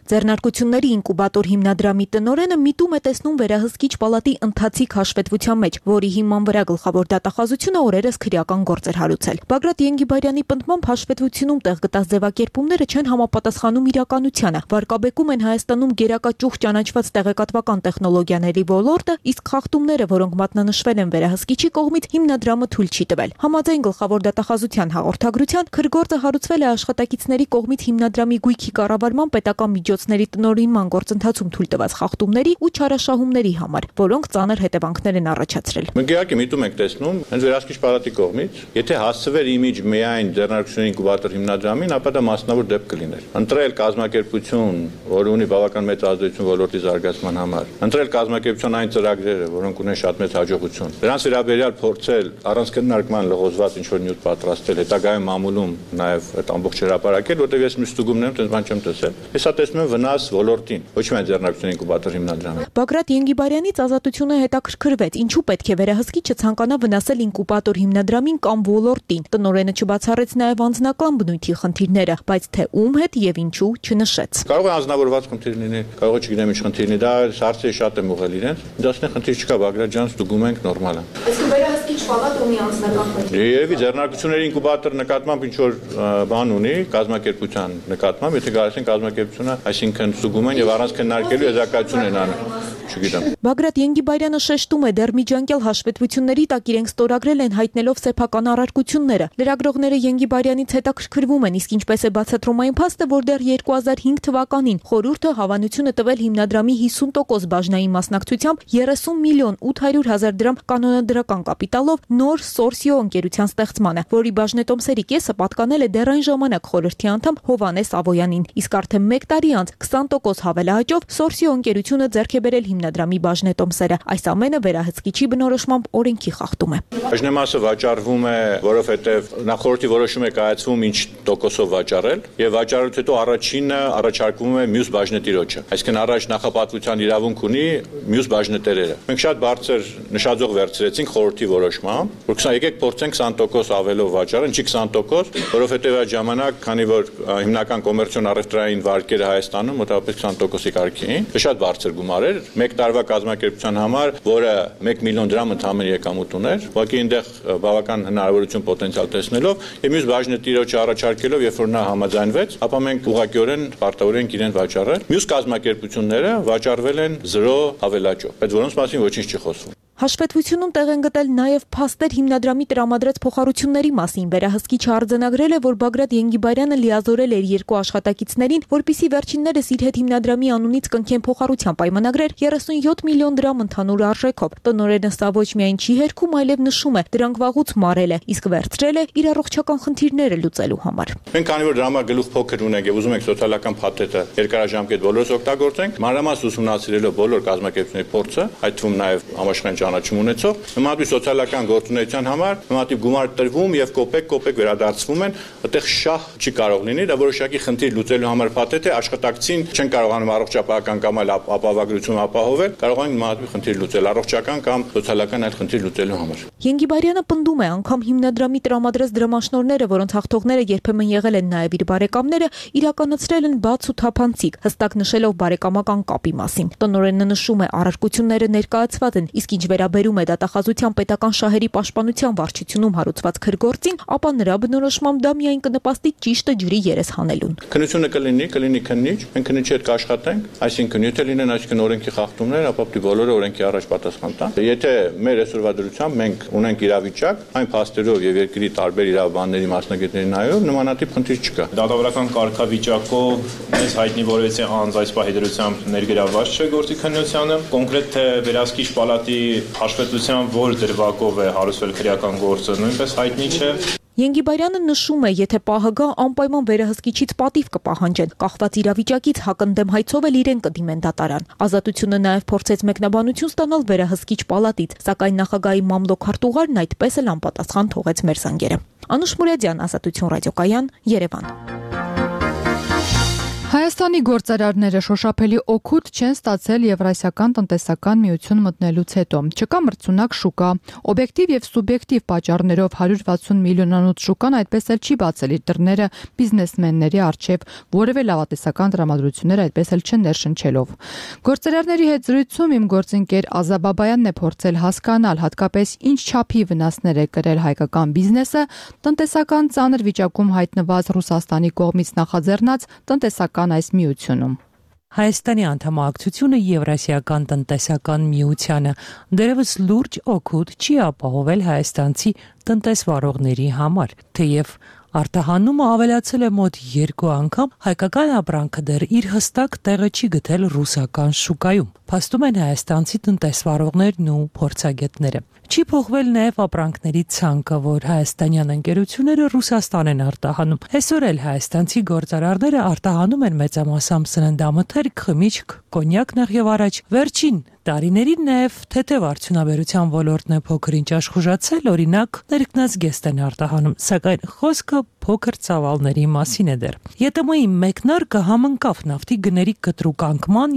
Ձեռնարկությունների ինկուբատոր հիմնադրամի տնօրենը միտում է տեսնում վերահսկիչ պալատի ընթացիկ հաշվետվության մեջ, որի հիման վրա գլխավոր դատախազությունը օրերս քրեական գործ էր հարուցել։ Բագրատ Ենգիբարյանի պնդմամբ հաշվետվությունում տեղ գտած ձևակերպումները չեն համապատասխանում իրականությանը, վարկաբեկում են Հայաստանում գերակա ճյուղ ճանաչված տեղեկատվական տեխնոլոգիաների ոլորտը, իսկ խախտումները, որոնք մատնանշվել են վերահսկիչի կողմից, հիմնադրամը թույլ չի տվել։ Համաձայն գլխավոր դատախազության հաղորդագրության, քրգործը հարուցվել է աշխատակիցների կողմից հիմնադրամի գույքի կառավարման պետական միջոցների տնօրինման գործընթացում թույլ տված խախտումների ու չարաշահումների համար, որոնք ծանր հետևանքներ են առաջացրել։ Մենք իհարկե միտում ենք տեսնում հենց վերահսկիչ պալատի կողմից, եթե հասցվեր իմիջ միայն ձեռնարկությունների ինկուբատոր հիմնադրամին, ապա դա մասնավոր դեպք կլիներ։ Ընտրել կազմակերպություն, որը ունի բավական մեծ ազդեցություն ոլորտի զարգացման համար, ընտրել կազմակերպության այն ծրագրերը, որոնք ունեն շատ մեծ հաջողություն, դրանց վերաբերյալ փորձել առանց քննարկման լղոզված ինչ-որ նյութ պատրաստել, հետագայում մամուլում նաև այդ ամբողջ հրապարակել, որտեղ ես մի ստուգումն եմ, այդպես բան չեմ տեսել։ Հեսա տեսնում եմ վնաս ոլորտին, ոչ միայն ձեռնարկությունների ինկուբատոր հիմնադրամին։ Բագրատ Ենգիբարյանից ազատությունը հետաքրքրվեց, ինչու պետք է վերահսկիչը ցանկանա վնասել ինկուբատոր հիմնադրամին կամ ոլորտին։ Տնօրենը չբացառեց նաև անձնական բնույթի խնդիրները, բայց թե ում հետ եւ ինչու չնշեց։ Կարող է անձնավորված խնդիր լինել, կարող է չգիտեմ ինչ խնդիր լինի, դա հարցը շատ եմ ուղղել իրենց։ Դասնի խնդիր չկա, Բագրատ ջան, ստուգում ենք նորմալ է։ Իսկ վերահսկիչ պալատը ունի անձնական խնդիր։ Երևի ձեռնարկությունների ինկուբատոր նկատմամբ ինչ որ բան ունի, կազմակերպության նկատմամբ, եթե գալիս են կազմակերպությունը, այսինքն ստուգում են եւ առանց քննարկելու եզրակացություն են անում։ Չգիտեմ։ Բագրատ Ենգիբարյանը շեշտում է, դեռ միջանկյալ հաշվետվությունների տակ իրենք ստորագրել են հայտնելով սեփական առարկությունները։ Լրագրողները Ենգիբարյանից հետաքրքրվում են, իսկ ինչպես է բացատրում այն փաստը, որ դեռ երկու հազար հինգ թվականին խորհուրդը հավանություն է տվել հիմնադրամի հիսուն տոկոս բաժնային մասնակցությամբ երեսուն միլիոն ութ հարյուր հազար դրամ կանոնադրական կապիտալով նոր Սորսիո ընկերության ստեղծմանը, որի բաժնետոմսերի կեսը պատկանել է դեռ այն ժամանակ խորհրդի անդամ Հովհաննես Ավոյանին, իսկ արդեն մեկ տարի անց քսան տոկոս հավելահաճով Սորսիո ընկերությունը ձեռք է բերել հիմնադրամի բաժնետոմսերը։ Այս ամենը վերահսկիչի բնորոշմամբ օրենքի խախտում է։ Բաժնեմասը վաճառվում է, որովհետև նախորդի որոշում է կայացվում ինչ տոկոսով վաճառել, եւ վաճառելուց հետո առաջինը առաջարկվում է մյուս բաժնետիրոջը։ Այսինքն առաջ նախապատվության իրավունք ունի մյուս բաժնետերերը։ Մենք շատ բարձր նշաձող վերցրեցինք խորհրդի որոշմամբ, որ քսան եկեք փորձենք քսան տոկոս ավելով վաճառել, ինչի քսան տոկոս, որովհետև այդ ժամանակ, քանի որ հիմնական կոմերցիոն առևտրային վարկերը Հայաստանում մոտավորապես քսան տոկոսի կարգի էին, շատ բարձր գումար էր, մեկ տարվա կազմակերպության համար, որը մեկ միլիոն դրամ ընդհանուր եկամուտ ուներ, ուղղակի այնտեղ բավական հնարավորություն պոտենցիալ տեսնելով եւ մյուս բաժնետիրոջը առաջարկելով, երբ որ նա համաձայնվեց, ապա մենք ուղղակիորեն պարտավորենք իրեն վաճառել։ Մյուս կազմակերպությունները վաճառվել են զրո հավելաճով, բայց որոնց մասին ոչինչ չի խոսվում։ Հաշվետվությունում տեղ են գտել նաև փաստեր հիմնադրամի տրամադրած փոխհարությունների մասին։ Վերահսկիչը արձանագրել է, որ Բագրատ Ենգիբարյանը լիազորել էր երկու աշխատակիցներին, որպիսի վերջիններս իր հետ հիմնադրամի անունից կնքեն փոխհարության պայմանագրեր երեսունյոթ միլիոն դրամ ընդհանուր արժեքով։ Տնօրենը սա ոչ միայն չի հերքում, այլև նշում է, դրանք վաղուց մարել է, իսկ վերցրել է իր առողջական խնդիրները լուծելու համար։ Մենք քանի որ դրամագլուխ փոքր ունենք եւ ուզում ենք սոցիալական փաթեթը երկարաժամկետ բոլորս օգտագործենք, մանրամաս ուսումնասիրելով բոլոր կազմակերպությունների փորձը, այդ թվում նաեւ համաշխարհային ճանաչում ունեցող, նմանատիպ սոցիալական գործունեության համար նմանատիպ գումար տրվում եւ կոպեկ-կոպեկ վերադարձվում են, այդտեղ շահ չի կարող լինի, դա որոշակի խնդիր լուծելու համար փաթեթ է, աշխատակցին չեն կարողանում առողջապահական կամ այլ ապահովագրություն ապահովել, կարող են նմանատիպ խնդիր լուծել առողջական կամ սոցիալական այլ խնդիր լուծելու համար։ Ենգիբարյանը պնդում է, անգամ հիմնադրամի տրամադրած դրամաշնորհները, որոնց հաղթողները երբեմն եղել են նաեւ իր բարեկամները, իրականացրել են բաց ու թափանցիկ, հստակ նշելով բարեկամական կապի մասին։ Տնօրենը նշում է, առարկությունները ներկայացված են, իսկ ինչ վերաբերում է դատախազության պետական շահերի պաշտպանության վարչությունում հարուցված քրգործին, ապա նրա բնորոշմամբ դա միայն կնպաստի ճիշտը ջրի երես հանելուն։ Քննությունը կլինի, կլինի քննիչ, մենք քննիչի հետ կաշխատենք, այսինքն եթե լինեն այսինքն օրենքի խախտումներ, ապա պետք է բոլորը օրենքի առաջ պատասխան տան։ Եթե մեր այսօրվա դրությամբ մենք ունենք իրավիճակ, այն փաստերով եւ երկրի տարբեր իրավաբանների մասնագետների նայելով նմանատիպ խնդիր չկա։ Դատավորական կարգավիճակով մեզ հայտնի որևէ անձ այս պահի դրությամբ ներգրավված չէ գործի քննությանը։ Կոնկրետ թե վերահսկիչ պալատի հաշվետվությամբ որ դրվագով է հարուցվել քրեական գործը նույնպես հայտնի չէ։ Ենգիբարյանը նշում է, եթե ՊԱՀԳ անպայման վերահսկիչից պատիվ կպահանջեն, կախված իրավիճակից հակընդդեմ հայցով էլ իրեն կդիմեն դատարան։ Ազատությունը նաև փորձեց մեկնաբանություն ստանալ վերահսկիչ պալատից, սակայն նախագահի մամլոք-քարտուղարն այդպես էլ անպատասխան թողեց մեր զանգերը։ Անուշ Մուրադյան, Ազատություն ռադիոկայան, Երևան։ Հայաստանի գործարարները շոշափելի օգուտ չեն ստացել Եվրասիական տնտեսական միություն մտնելուց հետո։ Չկա մրցունակ շուկա, օբյեկտիվ եւ սուբյեկտիվ պատճառներով հարյուր վաթսուն միլիոնանոց շուկան այդպես էլ չի բացել իր դռները բիզնեսմենների առջև, որևէ լավատեսական տրամադրություններ այդպես էլ չեն ներշնչելով։ Գործարարների հետ զրույցում իմ գործընկեր Ազա Բաբայանն է փորձել հասկանալ հատկապես ինչ չափի վնասներ է կրել հայկական բիզնեսը տնտեսական ծանր վիճակում հայտնված Ռուսաստանի կողմից նախաձեռնած տնտեսական այս միությունում։ Հայաստանի անդամակցությունը Եվրասիական տնտեսական միությանը դեռևս լուրջ օգուտ չի ապահովել հայաստանցի տնտեսվարողների համար, թեև արտահանումը ավելացել է մոտ երկու անգամ, հայկական ապրանքը դեռ իր հստակ տեղը չի գտել ռուսական շուկայում, փաստում են հայաստանցի տնտեսվարողներն ու փորձագետները։ Չի փոխվել նաև ապրանքների ցանկը, որ հայաստանյան ընկերությունները Ռուսաստան են արտահանում։ Այսօր էլ հայաստանցի գործարարները արտահանում են մեծամասամբ սննդամթերք, խմիչք, կոնյակ նախ եւ առաջ։ Վերջին տարիներին նաև թեթև արդյունաբերության ոլորտն է փոքր-ինչ աշխուժացել, օրինակ ներքնազգեստ են արտահանում, սակայն խոսքը փոքր ծավալների մասին է դեռ։ ԵՏՄ-ի մեկնարկը համընկավ նավթի գների կտրուկ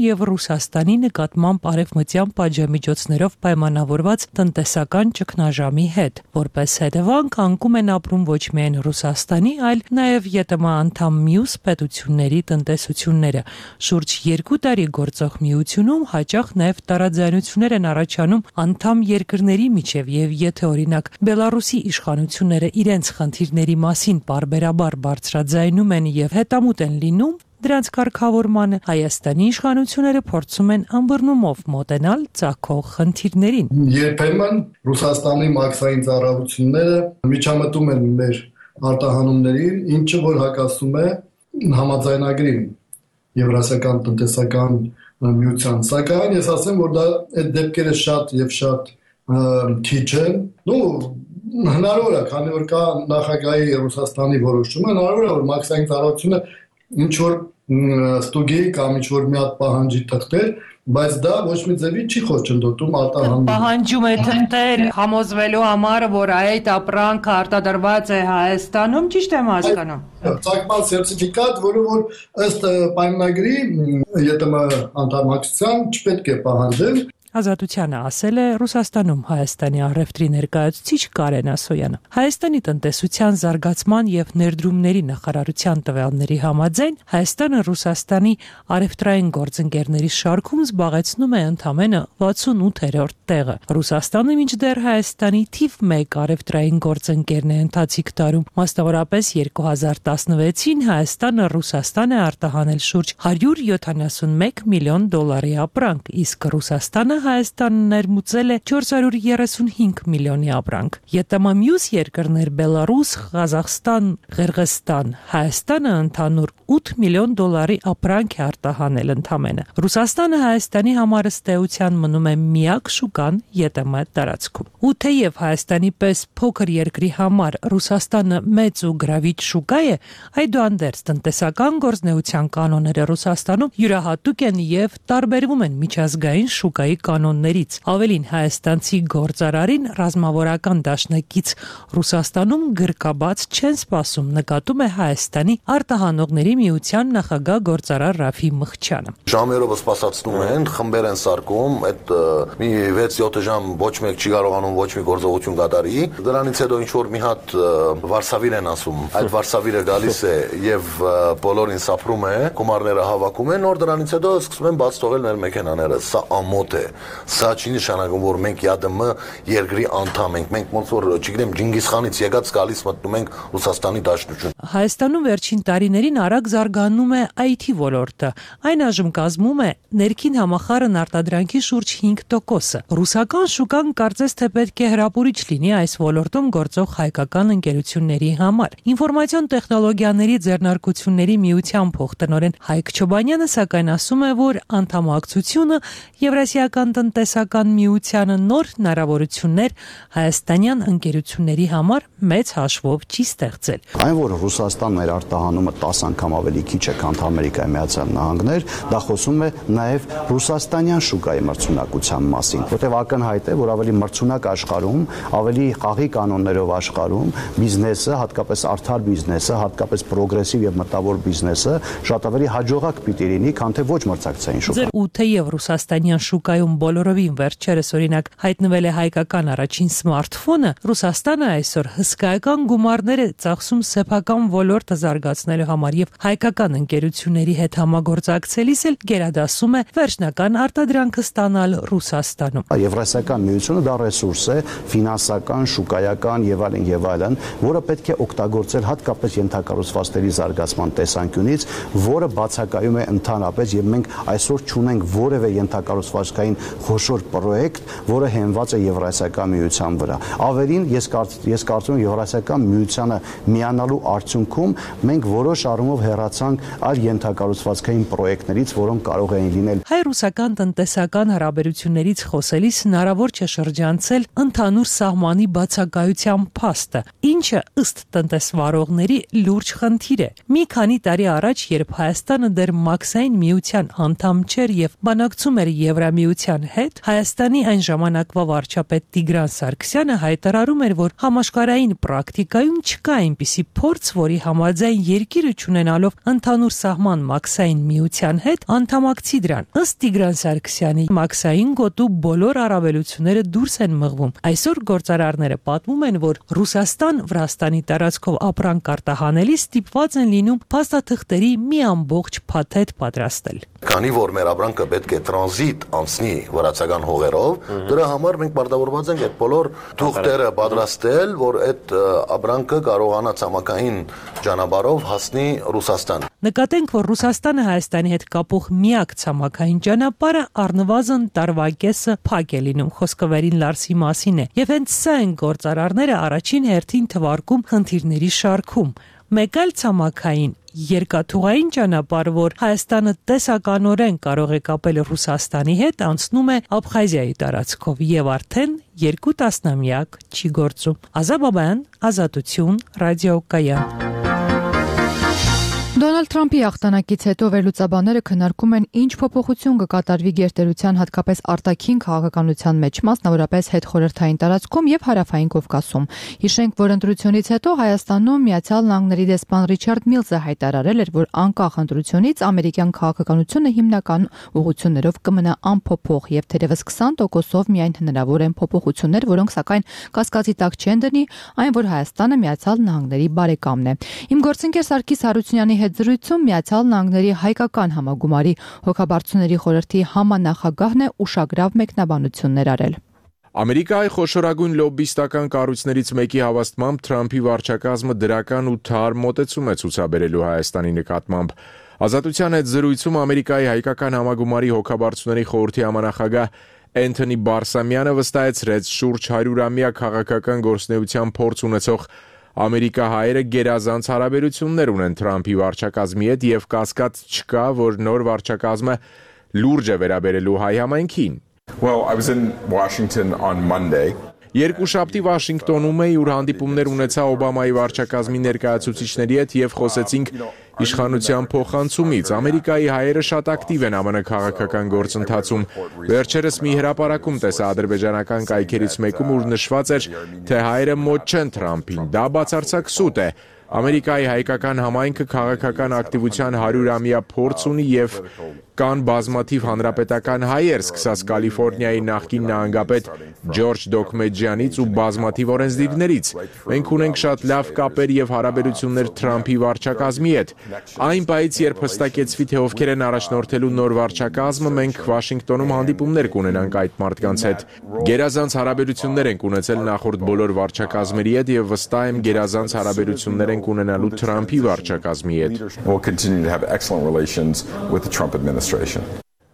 եւ Ռուսաստանի նկատմամբ արևմտյան պատժամիջոցներով պայմանավորված տնտեսական ճգնաժամի հետ, որպես հետևանք անկում են ապրում ոչ միայն Ռուսաստանի, այլ նաև ԵՏՄ անդամ մյուս պետությունների տնտեսությունները։ Շուրջ երկու տարի գործող միությունում հաճախ նաև տարաձայնություններ են առաջանում անդամ երկրների միջև եւ եթե օրինակ Բելարուսի իշխանությունները իրենց խնդիրների մասին բարբերաբար բարձրաձայնում են եւ հետամուտ են լինում, դրանց կարգավորմանը Հայաստանի իշխանությունները փորձում են ըմբռնումով մոտենալ ծագող խնդիրներին։ Երբեմն Ռուսաստանի մաքսային ծառայությունները միջամտում են մեր արտահանումներին, ինչը որ հակասում է համաձայնագրին Եվրասիական տնտեսական միության, սակայն ես ասեմ, որ դա այդ դեպքերը շատ եւ շատ քիչ են, ու հնարավոր է, քանի որ կա նախագահի Ռուսաստանի որոշումը, հնարավոր է, որ մաքսային ծառայությունը ինչ որ ստուգի կամ ինչ որ մի հատ պահանջի թղթեր, բայց դա ոչ մի ձևի չի խոչընդոտում արտահանում։ Պահանջում է թղթեր համոզվելու համար, որ այդ ապրանքը արտադրված է Հայաստանում, ճիշտ եմ հասկանում։ Ցակման սերտիֆիկատ, որը որ ըստ պայմանագրի ԵՏՄ անդամակցության չպետք է պահանջել։ Ազատությանը ասել է Ռուսաստանում Հայաստանի առևտրի ներկայացուցիչ Կարեն Ասոյանը։ Հայաստանի տնտեսության զարգացման եւ ներդրումների նախարարության տվյալների համաձայն Հայաստանը Ռուսաստանի առևտրային գործընկերների շարքում զբաղեցնում է ընդամենը վաթսունութերորդ տեղը։ Ռուսաստանը մինչդեռ Հայաստանի թիվ մեկ առևտրային գործընկերն է ընթացիկ տարում։ Մասնավորապես երկու հազար տասնվեցին Հայաստանը Ռուսաստան է արտահանել շուրջ հարյուր յոթանասունմեկ միլիոն դոլարի ապրանք, իսկ Ռուսաստանը Հայաստանը ներմուծել է չորս հարյուր երեսունհինգ միլիոնի ապրանք։ ԵՏՄ մյուս երկրներ Բելարուս, Ղազախստան, Ղրղստան, Հայաստանը ընդհանուր ութ միլիոն դոլարի ապրանք է արտահանել ընդամենը։ Ռուսաստանը Հայաստանի համար ըստ էության մնում է միակ շուկան ԵՏՄ տարածքում։ Ու թեև Հայաստանի պես փոքր երկրի համար Ռուսաստանը մեծ ու գրավիչ շուկա է, այդուհանդերձ տնտեսական գործնեության կանոնները Ռուսաստանում յուրահատուկ են եւ տարբերվում են միջազգային շուկայի կանոններից։ Ավելին հայաստանցի գործարարին ռազմավարական դաշնակից Ռուսաստանում գրկաբաց չեն սպասում, նկատում է Հայաստանի արտահանողների միության նախագահ գործարար Ռաֆի Մխչյանը։ Ժամերով սպասացնում են, խմբեր են սարքում, այդ մի վեց-յոթ ժամ ոչ մեկ չի կարողանում ոչ մի գործողություն կատարի։ Դրանից հետո ինչ որ մի հատ վարսավիր են ասում։ Այդ վարսավիրը գալիս է եւ բոլորին սափրում է, գումարները հավաքում են, նոր դրանից հետո սկսում են բաց թողել մեր մեքենաները։ Սա ամոթ է։ Սա չի նշանակում, որ մենք ԵԱԴՄ երկրի անդամ ենք։ Մենք ոնց որ, չգիտեմ, Ջինգիզխանից եկած գալիս մտնում ենք Ռուսաստանի Դաշնություն։ Հայաստանում վերջին տարիներին արագ զարգանում է այ թի ոլորտը։ Այն այժմ կազմում է ներքին համախառն արտադրանքի շուրջ հինգ տոկոսը։ Ռուսական շուկան կարծես թե պետք է հրապուրիչ լինի այս ոլորտում գործող հայկական ընկերությունների համար։ Ինֆորմացիոն տեխնոլոգիաների ձեռնարկությունների միության փոխտնօրեն Հայկ Չոբանյանը սակայն ասում է, որ անդամակցությունը Եվրասիական տնտեսական միությանը նոր հնարավորություններ հայաստանյան ընկերությունների համար մեծ հաշվով չի ստեղծել։ Այն, որ Ռուսաստանն մեր արտահանումը տասը անգամ ավելի քիչ է, քան Ամերիկայի Միացյալ Նահանգներ, դա խոսում է նաև ռուսաստանյան շուկայի մրցունակության մասին, որտեղ ակնհայտ է, որ ավելի մրցունակ աշխարհում, ավելի խաղի կանոններով աշխարհում բիզնեսը, հատկապես արդար բիզնեսը, հատկապես պրոգրեսիվ եւ մտավոր բիզնեսը շատ ավելի հաջողակ պիտի լինի, քան թե ոչ մրցակցային շուկա։ Ու թեև ռուսաստանյան շուկայում բոլորովին վերջերս օրինակ հայտնվել է հայկական առաջին սմարթֆոնը, Ռուսաստանը այսօր հսկայական գումարներ է ծախսում սեփական ոլորտը զարգացնելու համար եւ հայկական ընկերությունների հետ համագործակցելիս էլ գերադասում է վերջնական արտադրանքը ստանալ Ռուսաստանում։ Եվրասիական միությունը դա ռեսուրս է, ֆինանսական, շուկայական եւ այլն եւ այլն, որը պետք է օգտագործել հատկապես ենթակառուցվածքների զարգացման տեսանկյունից, որը բացակայում է ընդհանրապես եւ մենք այսօր չունենք որևէ ենթակառուցվածքային խոշոր պրոյեկտ, որը հենված է Եվրասիական միության վրա։ Ավելին ես ես կարծում եմ Եվրասիական միությանը միանալու արդյունքում մենք որոշ առումով հեռացանք այլ ենթակառուցվածքային պրոյեկտներից, որոնք կարող էին լինել։ Հայ-ռուսական տնտեսական հարաբերություններից խոսելիս հնարավոր չէ շրջանցել ընդհանուր սահմանի բացակայության փաստը, ինչը ըստ տնտեսվարողների լուրջ խնդիր է։ Մի քանի տարի առաջ, երբ Հայաստանը դեռ Մաքսային միության անդամ չէր եւ բանակցում էր Եվրամիության հետ, Հայաստանի այն ժամանակվա վարչապետ Տիգրան Սարգսյանը հայտարարում էր, որ համաշխարհային պրակտիկայում չկա այնպիսի փորձ, որի համաձայն երկիրը չունենալով ընդհանուր սահման Մաքսային միության հետ անդամակցի դրան։ Ըստ Տիգրան Սարգսյանի, Մաքսային գոտու բոլոր առավելությունները դուրս են մղվում։ Այսօր գործարարները պատմում են, որ Ռուսաստան-Վրաստանի տարածքով ապրանք արտահանելի ստիպված են լինում փաստաթղթերի մի ամբողջ փաթեթ պատրաստել։ Քանի որ մեր ապրանքը պետք է տրանզիտ անցնի վրացական հողերով, դրա համար մենք պարտավորված ենք այդ բոլոր թուղթերը պատրաստել, որ այդ ապրանքը կարողանա ցամաքային ճանապարհով հասնի Ռուսաստան։ Նկատենք, որ Ռուսաստանը Հայաստանի հետ կապող միակ ցամաքային ճանապարհը առնվազն տարվա կեսը փակ է լինում, խոսքը Վերին Լարսի մասին է, եւ հենց սա են գործարարները առաջին հերթին թվարկում խնդիրների շարքում։ Մեկ այլ ցամաքային երկաթուղային ճանապարհ, որ Հայաստանը տեսականորեն կարող է կապել Ռուսաստանի հետ, անցնում է Աբխազիայի տարածքով եւ արդեն երկու տասնամյակ չի գործում։ Ազա Բաբայան, Ազատություն, Ռադիոկայան։ Դոնալդ Թրամփի հաղթանակից հետո վերլուծաբանները քննարկում են ինչ փոփոխություն կկատարվի գերտերության հատկապես արտաքին քաղաքականության մեջ, մասնավորապես հետխորհրդային տարածքում եւ հարավային Կովկասում։ Հիշենք, որ ընտրությունից հետո Հայաստանում Միացյալ Նահանգների դեսպան Ռիչարդ Միլզը հայտարարել էր, որ անկախ ընտրությունից ամերիկյան քաղաքականությունը հիմնական ուղղություններով կմնա անփոփոխ եւ թերևս քսան տոկոսով միայն հնարավոր են փոփոխություններ, որոնք սակայն կասկածի տակ չեն դնի այն, որ Հայաստանը Միացյալ Նահանգների բարեկամն է։ Իմ գործընկեր Սարգիս Հարությունյանի հետ զրույցում Միացյալ Նահանգների հայկական համագումարի հոգաբարձուների խորհրդի համանախագահն է ուշագրավ մեկնաբանություններ արել։ Ամերիկայի խոշորագույն լոբբիստական կառույցներից մեկի հավաստմամբ Թրամփի վարչակազմը դրական ու թար մոտեցում է ցուցաբերելու Հայաստանի նկատմամբ։ Ազատության հետ զրույցում Ամերիկայի հայկական համագումարի հոգաբարձուների խորհրդի համանախագահ Էնթոնի Բարսամյանը վստահեցրեց շուրջ հարյուրամյա քաղաքական գործունեության փորձ ունեցող ամերիկահայերը գերազանց հարաբերություններ ունեն Թրամփի վարչակազմի հետ եւ կասկած չկա, որ նոր վարչակազմը լուրջ է վերաբերելու հայ համայնքին։ Well, I was in Washington on Monday. Երկուշաբթի Վաշինգտոնում էի, ուր հանդիպումներ ունեցա Օբամայի վարչակազմի ներկայացուցիչների հետ եւ խոսեցինք իշխանության փոխանցումից։ Ամերիկայի հայերը շատ ակտիվ են ԱՄՆ քաղաքական գործընթացում։ Վերջերս մի հրապարակում տեսա ադրբեջանական կայքերից մեկում, ուր նշված էր, թե հայերը մոտ չեն Թրամփին։ Դա բացարձակ սուտ է։ Ամերիկայի հայկական համայնքը քաղաքական ակտիվության հարյուրամյա փորձ ունի եւ կան բազմաթիվ հանրապետական հայեր, սկսած Կալիֆոռնիայի նախկին նահանգապետ Ջորջ Դոկմեջյանից ու բազմաթիվ օրենսդիրներից։ Մենք ունենք շատ լավ կապեր եւ հարաբերություններ Թրամփի վարչակազմի հետ։ Այն պահից, երբ հստակեցվի, թե ովքեր են առաջնորդելու նոր վարչակազմը, մենք Վաշինգտոնում հանդիպումներ կունենանք այդ մարդկանց հետ։ Գերազանց հարաբերություններ ենք ունեցել նախորդ բոլոր վարչակազմերի հետ եւ վստահ եմ գերազանց հարաբերություններ ենք ունենալու Թրամփի վարչակազմի հետ։ We'll continue to have excellent relations with the Trump administration.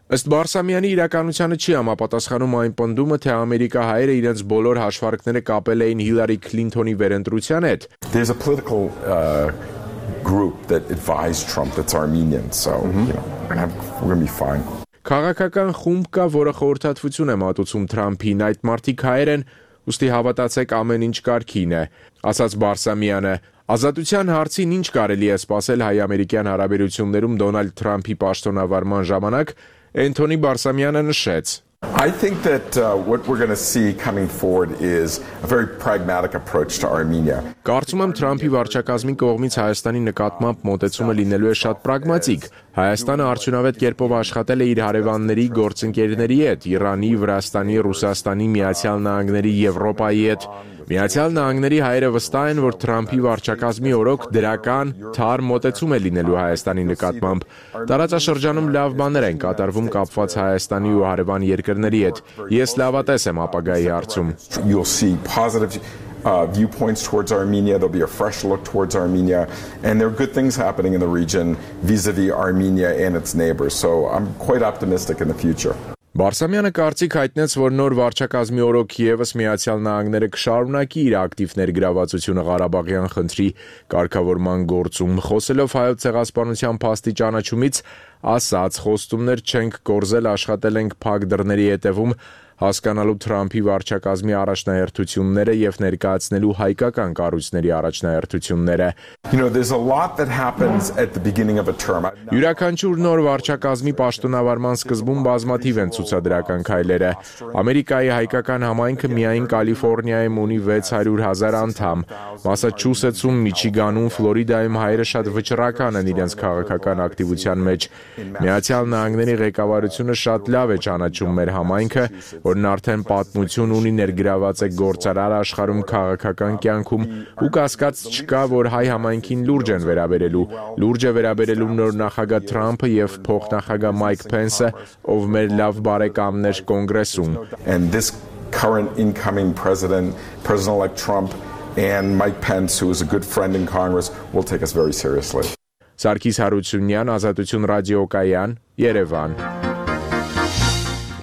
Ըստ Բարսամյանի իրականությանը չի համապատասխանում այն պնդումը, թե ամերիկահայերը իրենց բոլոր հաշվարկները կապել էին Հիլարի Քլինթոնի վերընտրության հետ։ There's a political uh, group that advised Trump that's Armenian, so you know, we're gonna have, we're gonna be fine. Քաղաքական խումբ կա, որը խորհրդատվություն է մատուցում Թրամփին, այդ մարդիկ հայեր են, ուստի հավատացեք ամեն ինչ կարգին է, ասաց Բարսամյանը։ Ազատության հարցին ինչ կարելի է սպասել հայ-ամերիկյան հարաբերություններում Դոնալդ Թրամփի պաշտոնավարման ժամանակ, Էնթոնի Բարսամյանը նշեց. I think that uh, what we're going to see coming forward is a very pragmatic approach to Armenia. Կարծում եմ Թրամփի վարչակազմի կողմից Հայաստանի նկատմամբ մոտեցումը լինելու է շատ պրագմատիկ։ Հայաստանը արդյունավետ կերպով աշխատել է իր հարևանների, գործընկերների հետ, Իրանի, Վրաստանի, Ռուսաստանի, Միացյալ Նահանգների, Եվրոպայի հետ։ Միացյալ Նահանգների հայերը վստահ են, որ Թրամփի վարչակազմի օրոք դրական, թարմ մոտեցում է լինելու Հայաստանի նկատմամբ։ Տարածաշրջանում լավ բաներ են կատարվում կապված Հայաստանի ու հարևան երկրների հետ։ Ես լավատես եմ ապագայի հարցում։ You'll see positive Uh, viewpoints towards Armenia. There'll be a fresh look towards Armenia, and there are good things happening in the region vis-a-vis Armenia and its neighbors. So I'm quite optimistic in the future. Բարսամյանը կարծիք հայտնեց, որ նոր վարչակազմի օրոք եւս Միացյալ Նահանգները կշարունակի իր ակտիվ ներգրավվածությունը Ղարաբաղյան խնդրի կարգավորման գործում, խոսելով Հայոց ցեղասպանության փաստի ճանաչումից, ասաց, խոստումներ չենք կորզել, աշխատել ենք փակ դռների հետևում, հասկանալու Թրամփի վարչակազմի առաջնահերթությունները եւ ներկայացնելու հայկական կառույցների առաջնահերթությունները։ You know, there's a lot that happens at the beginning of a term. Յուրաքանչյուր նոր վարչակազմի պաշտոնավարման սկզբում բազմաթիվ են ցուցադրական քայլերը։ Ամերիկայի հայկական համայնքը միայն Կալիֆոռնիայում ունի վեց հարյուր հազար անդամ։ Մասաչուսեթսում, Միչիգանում, Ֆլորիդայում հայերը շատ վճռական են իրենց քաղաքական ակտիվության մեջ։ Միացյալ Նահանգների ղեկավարությունը շատ լավ է ճանաչում մեր համայնքը, որն արդեն պատմություն ունի ներգրաված է գործարար աշխարհում քաղաքական կյանքում ու կասկած չկա, որ հայ համայնքին լուրջ են վերաբերելու, լուրջ է վերաբերելու նոր նախագահ Թրամփը եւ փոխնախագահ Մայք Փենսը, ով մեր լավ բարեկամներ կոնգրեսում։ And this current incoming president, President-elect Trump and Mike Pence, who is a good friend in Congress, will take us very seriously. Սարգիս Հարությունյան, Ազատություն ռադիոկայան, Երևան։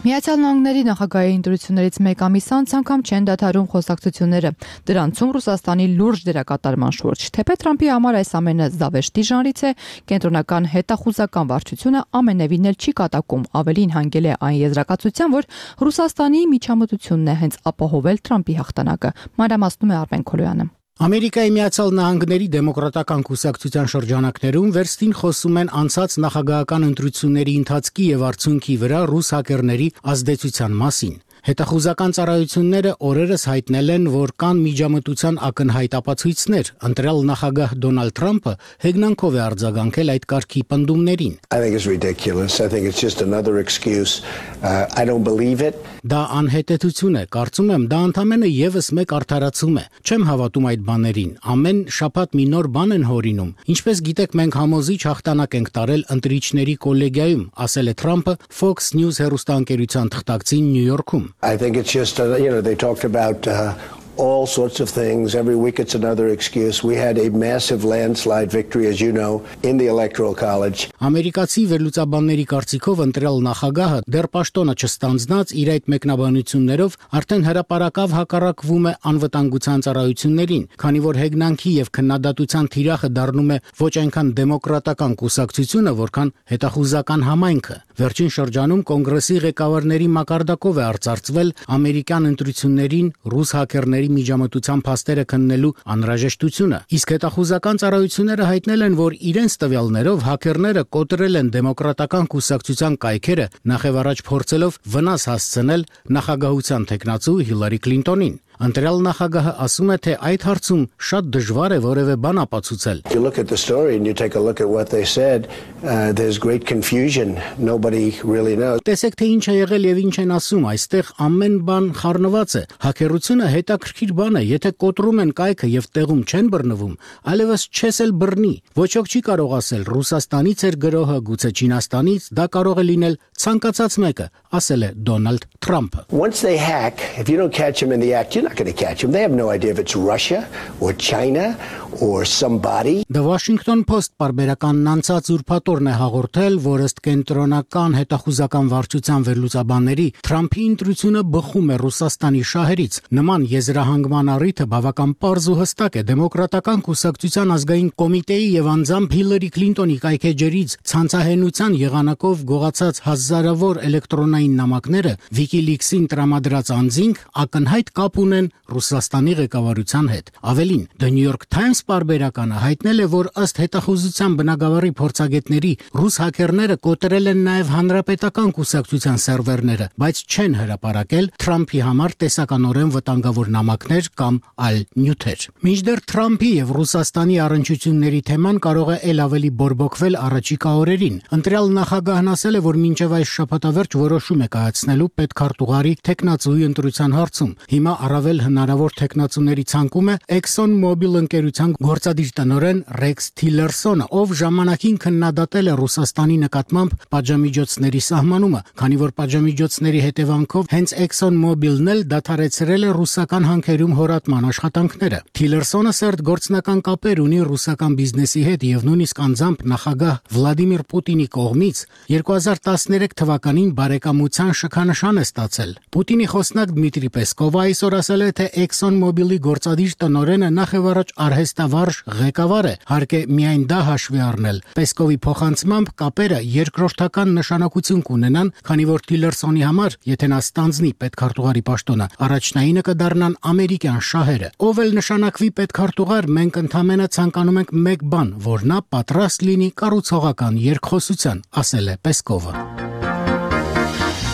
Միացյալ Նահանգների նախագահի ընտրություններից մեկ ամիս անց անգամ չեն դադարում խոսակցությունները, դրանցում Ռուսաստանի լուրջ դերակատարման շուրջ։ Թեպետ Թրամփի համար այս ամենը զավեշտի ժանրից է, կենտրոնական հետախուզական վարչությունը ամենևին էլ չի կատակում, ավելին հանգել է այն եզրակացության, որ Ռուսաստանի միջամտությունն է հենց ապահովել Թրամփի հաղթանակը։ Մանրամասնում է Արմեն Քոլոյանը։ Ամերիկայի Միացյալ Նահանգների դեմոկրատական կուսակցության շրջանակներում վերստին խոսում են անցած նախագահական ընտրությունների ընթացքի եւ արդյունքի վրա ռուս հակերների ազդեցության մասին։ Հետախուզական ծառայությունները օրերս հայտնել են, որ կան միջամտության ակնհայտ ապացույցներ, ընտրյալ նախագահ Դոնալդ Թրամփը հեգնանքով է արձագանքել այդ կարգի պնդումներին։ I think it's ridiculous. I think it's just another excuse. Uh, I don't believe it. Դա անհետեցություն է, կարծում եմ, դա ընդամենը եւս մեկ արդարացում է։ Չեմ հավատում այդ բաներին։ Ամեն շաբաթ մի նոր բան են հորինում։ Ինչպես գիտեք, մենք համոզիչ հաղթանակ ենք տարել ընտրիչների կոլեգիայում, ասել է Թրամփը Fox News հեռուստաընկերության թղթակցին Նյու Յորքում։ I think it's just, uh, you know, they talked about uh, all sorts of things. Every week it's another excuse. We had a massive landslide victory, as you know, in the Electoral College. Ամերիկացի վերլուծաբանների կարծիքով ընտրյալ նախագահը դեռ պաշտոնը չստանձնած իր այդ մեկնաբանություններով արդեն հրապարակավ հակառակվում է անվտանգության ծառայություններին, քանի որ հեգնանքի եւ քննադատության թիրախը դառնում է ոչ այնքան դեմոկրատական կուսակցությունը, որքան հետախուզական համայնքը։ Վերջին շրջանում կոնգրեսի ղեկավարների մակարդակով է արծարծվել ամերիկյան ընտրություններին ռուս հակերների միջամտության փաստերը քննելու անհրաժեշտությունը։ Իսկ հետախուզական ծառայությունները հայտնել են, որ իրենց տվյալներով հակերները կոտրել են դեմոկրատական կուսակցության կայքերը, նախևառաջ փորձելով վնաս հասցնել նախագահության թեկնածու Հիլարի Քլինտոնին։ Ընտրյալ նախագահը ասում է, թե այդ հարցում շատ դժվար է որևէ բան ապացուցել. You look at the story and you take a look at what they said, uh, there's great confusion. Nobody really knows. Տեսեք, թե ինչ է եղել եւ ինչ են ասում, այստեղ ամեն բան խառնված է։ Հակերությունը հետաքրքիր բան է, եթե կոտրում են կայքը եւ տեղում չեն բռնվում, այլևս չես էլ բռնի։ Ոչ ոք չի կարող ասել Ռուսաստանից էր գրոհը, գուցե Չինաստանից, դա կարող է լինել ցանկացած մեկը, ասել է Դոնալդ Թրամփը։ Once they hack, if you don't catch them in the act, you're not going to catch them. They have no idea if it's Russia or China or somebody. The Washington Post պարբերականն անցած ուրբաթօրն է հաղորդել, որ ըստ կենտրոնական հետախուզական վարչության վերլուծաբանների Թրամփի ընտրությունը բխում է Ռուսաստանի շահերից։ Նման եզրահանգման առիթը բավական պարզ ու հստակ է դեմոկրատական կուսակցության ազգային կոմիտեի եւ անձամբ Հիլարի Քլինտոնի կայքեջերից ցանցահենության եղանակով գողացած հազարավոր էլեկտրոնային նամակները WikiLeaks-ին տրամադրած անձինք ակնհայտ կապ ունեն Ռուսաստանի ղեկավարության հետ։ Ավելին, The New York Times պարբերականը հայտնել է, որ ըստ հետախուզության բնագավառի փորձագետների ռուս հաքերները կոտրել են նաև հանրապետական կուսակցության սերվերները, բայց չեն հրապարակել Թրամփի համար տեսականորեն վտանգավոր նամակներ կամ այլ նյութեր։ Մինչդեռ Թրամփի եւ Ռուսաստանի առնչությունների թեման կարող է ել ավելի բորբոքվել առաջիկա օրերին։ Ընտրյալ նախագահն ասել է, որ մինչև այս շաբաթավերջ որոշում է կայացնելու պետքարտուղարի տեխնացուի ընտրության հարցում։ Հիմա առավել հնարավոր տեխնացուների ցանկում է ExxonMobil ընկերության գործադիր տնօրեն Ռեքս Թիլերսոնը, ով ժամանակին քննադատել է Ռուսաստանի նկատմամբ պատժամիջոցների սահմանումը, քանի որ պատժամիջոցների հետևանքով հենց ExxonMobil-ն էլ դադարեցրել է ռուսական հանքերում հորատման աշխատանքները։ Թիլերսոնը սերտ գործնական կապեր ունի ռուսական բիզնեսի հետ եւ նույնիսկ անձամբ նախագահ Վլադիմիր Պուտինի կողմից երկու հազար տասներեք թվականին բարեկամության շքանշան է ստացել։ Պուտինի խոսնակ Դմիտրի Պեսկովը այսօր ասել է, թե ExxonMobil-ի գործադիր տնօրենը նախ եւ առաջ արհեստավարժ ղեկավար է, հարկ է միայն դա հաշվի առնել։ Պեսկովի փոխանցմամբ կապերը երկրորդական նշանակություն կունենան, քանի որ Թիլերսոնի համար, եթե նա ստանձնի պետքարտուղարի պաշտոնը, առաջնայինը կդառնան ամերիկյան շահերը։ Ով էլ նշանակվի պետքարտուղար, մենք ընդամենը ցանկանում ենք մեկ բան, որ նա պատրաստ լինի կառուցողական երկխոսության, ասել է Պեսկովը։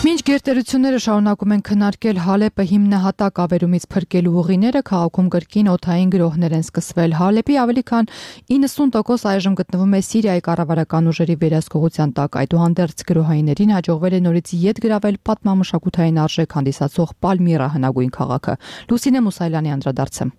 Մինչ գերտերությունները շարունակում են քննարկել Հալեպը հիմնահատակ ավերումից փրկելու ուղիները, քաղաքում կրկին օդային գրոհներ են սկսվել։ Հալեպի ավելի քան իննսուն տոկոս այժմ գտնվում է Սիրիայի կառավարական ուժերի վերահսկողության տակ։ Այդուհանդերձ գրոհայիներին հաջողվել է նորից ետ գրավել պատմամշակութային արժեք հանդիսացող Պալմիրա հնագույն քաղաքը։ Լուսինե Մուսայելյանի անդրադարձը։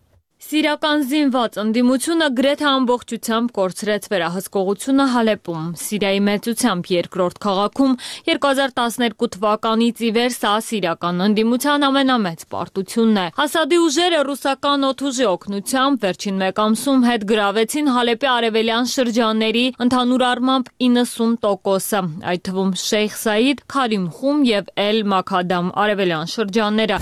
Սիրիական զինված ընդդիմությունը գրեթե ամբողջությամբ կորցրեց վերահսկողությունը Հալեպում։ Սիրիայի մեծությամբ երկրորդ քաղաքում երկու հազար տասներկու թվականից ի վեր սա սիրիական ընդդիմության ամենամեծ պարտությունն է։ Ասադի ուժերը ռուսական օդուժի օգնությամբ վերջին մեկ ամսում հետ գրավեցին Հալեպի արևելյան շրջանների ընդհանուր առմամբ իննսուն տոկոսը, այդ թվում Շեյխ Սայիդ, Քարիմ Խում եւ Էլ Մաքադամ արևելյան շրջանները։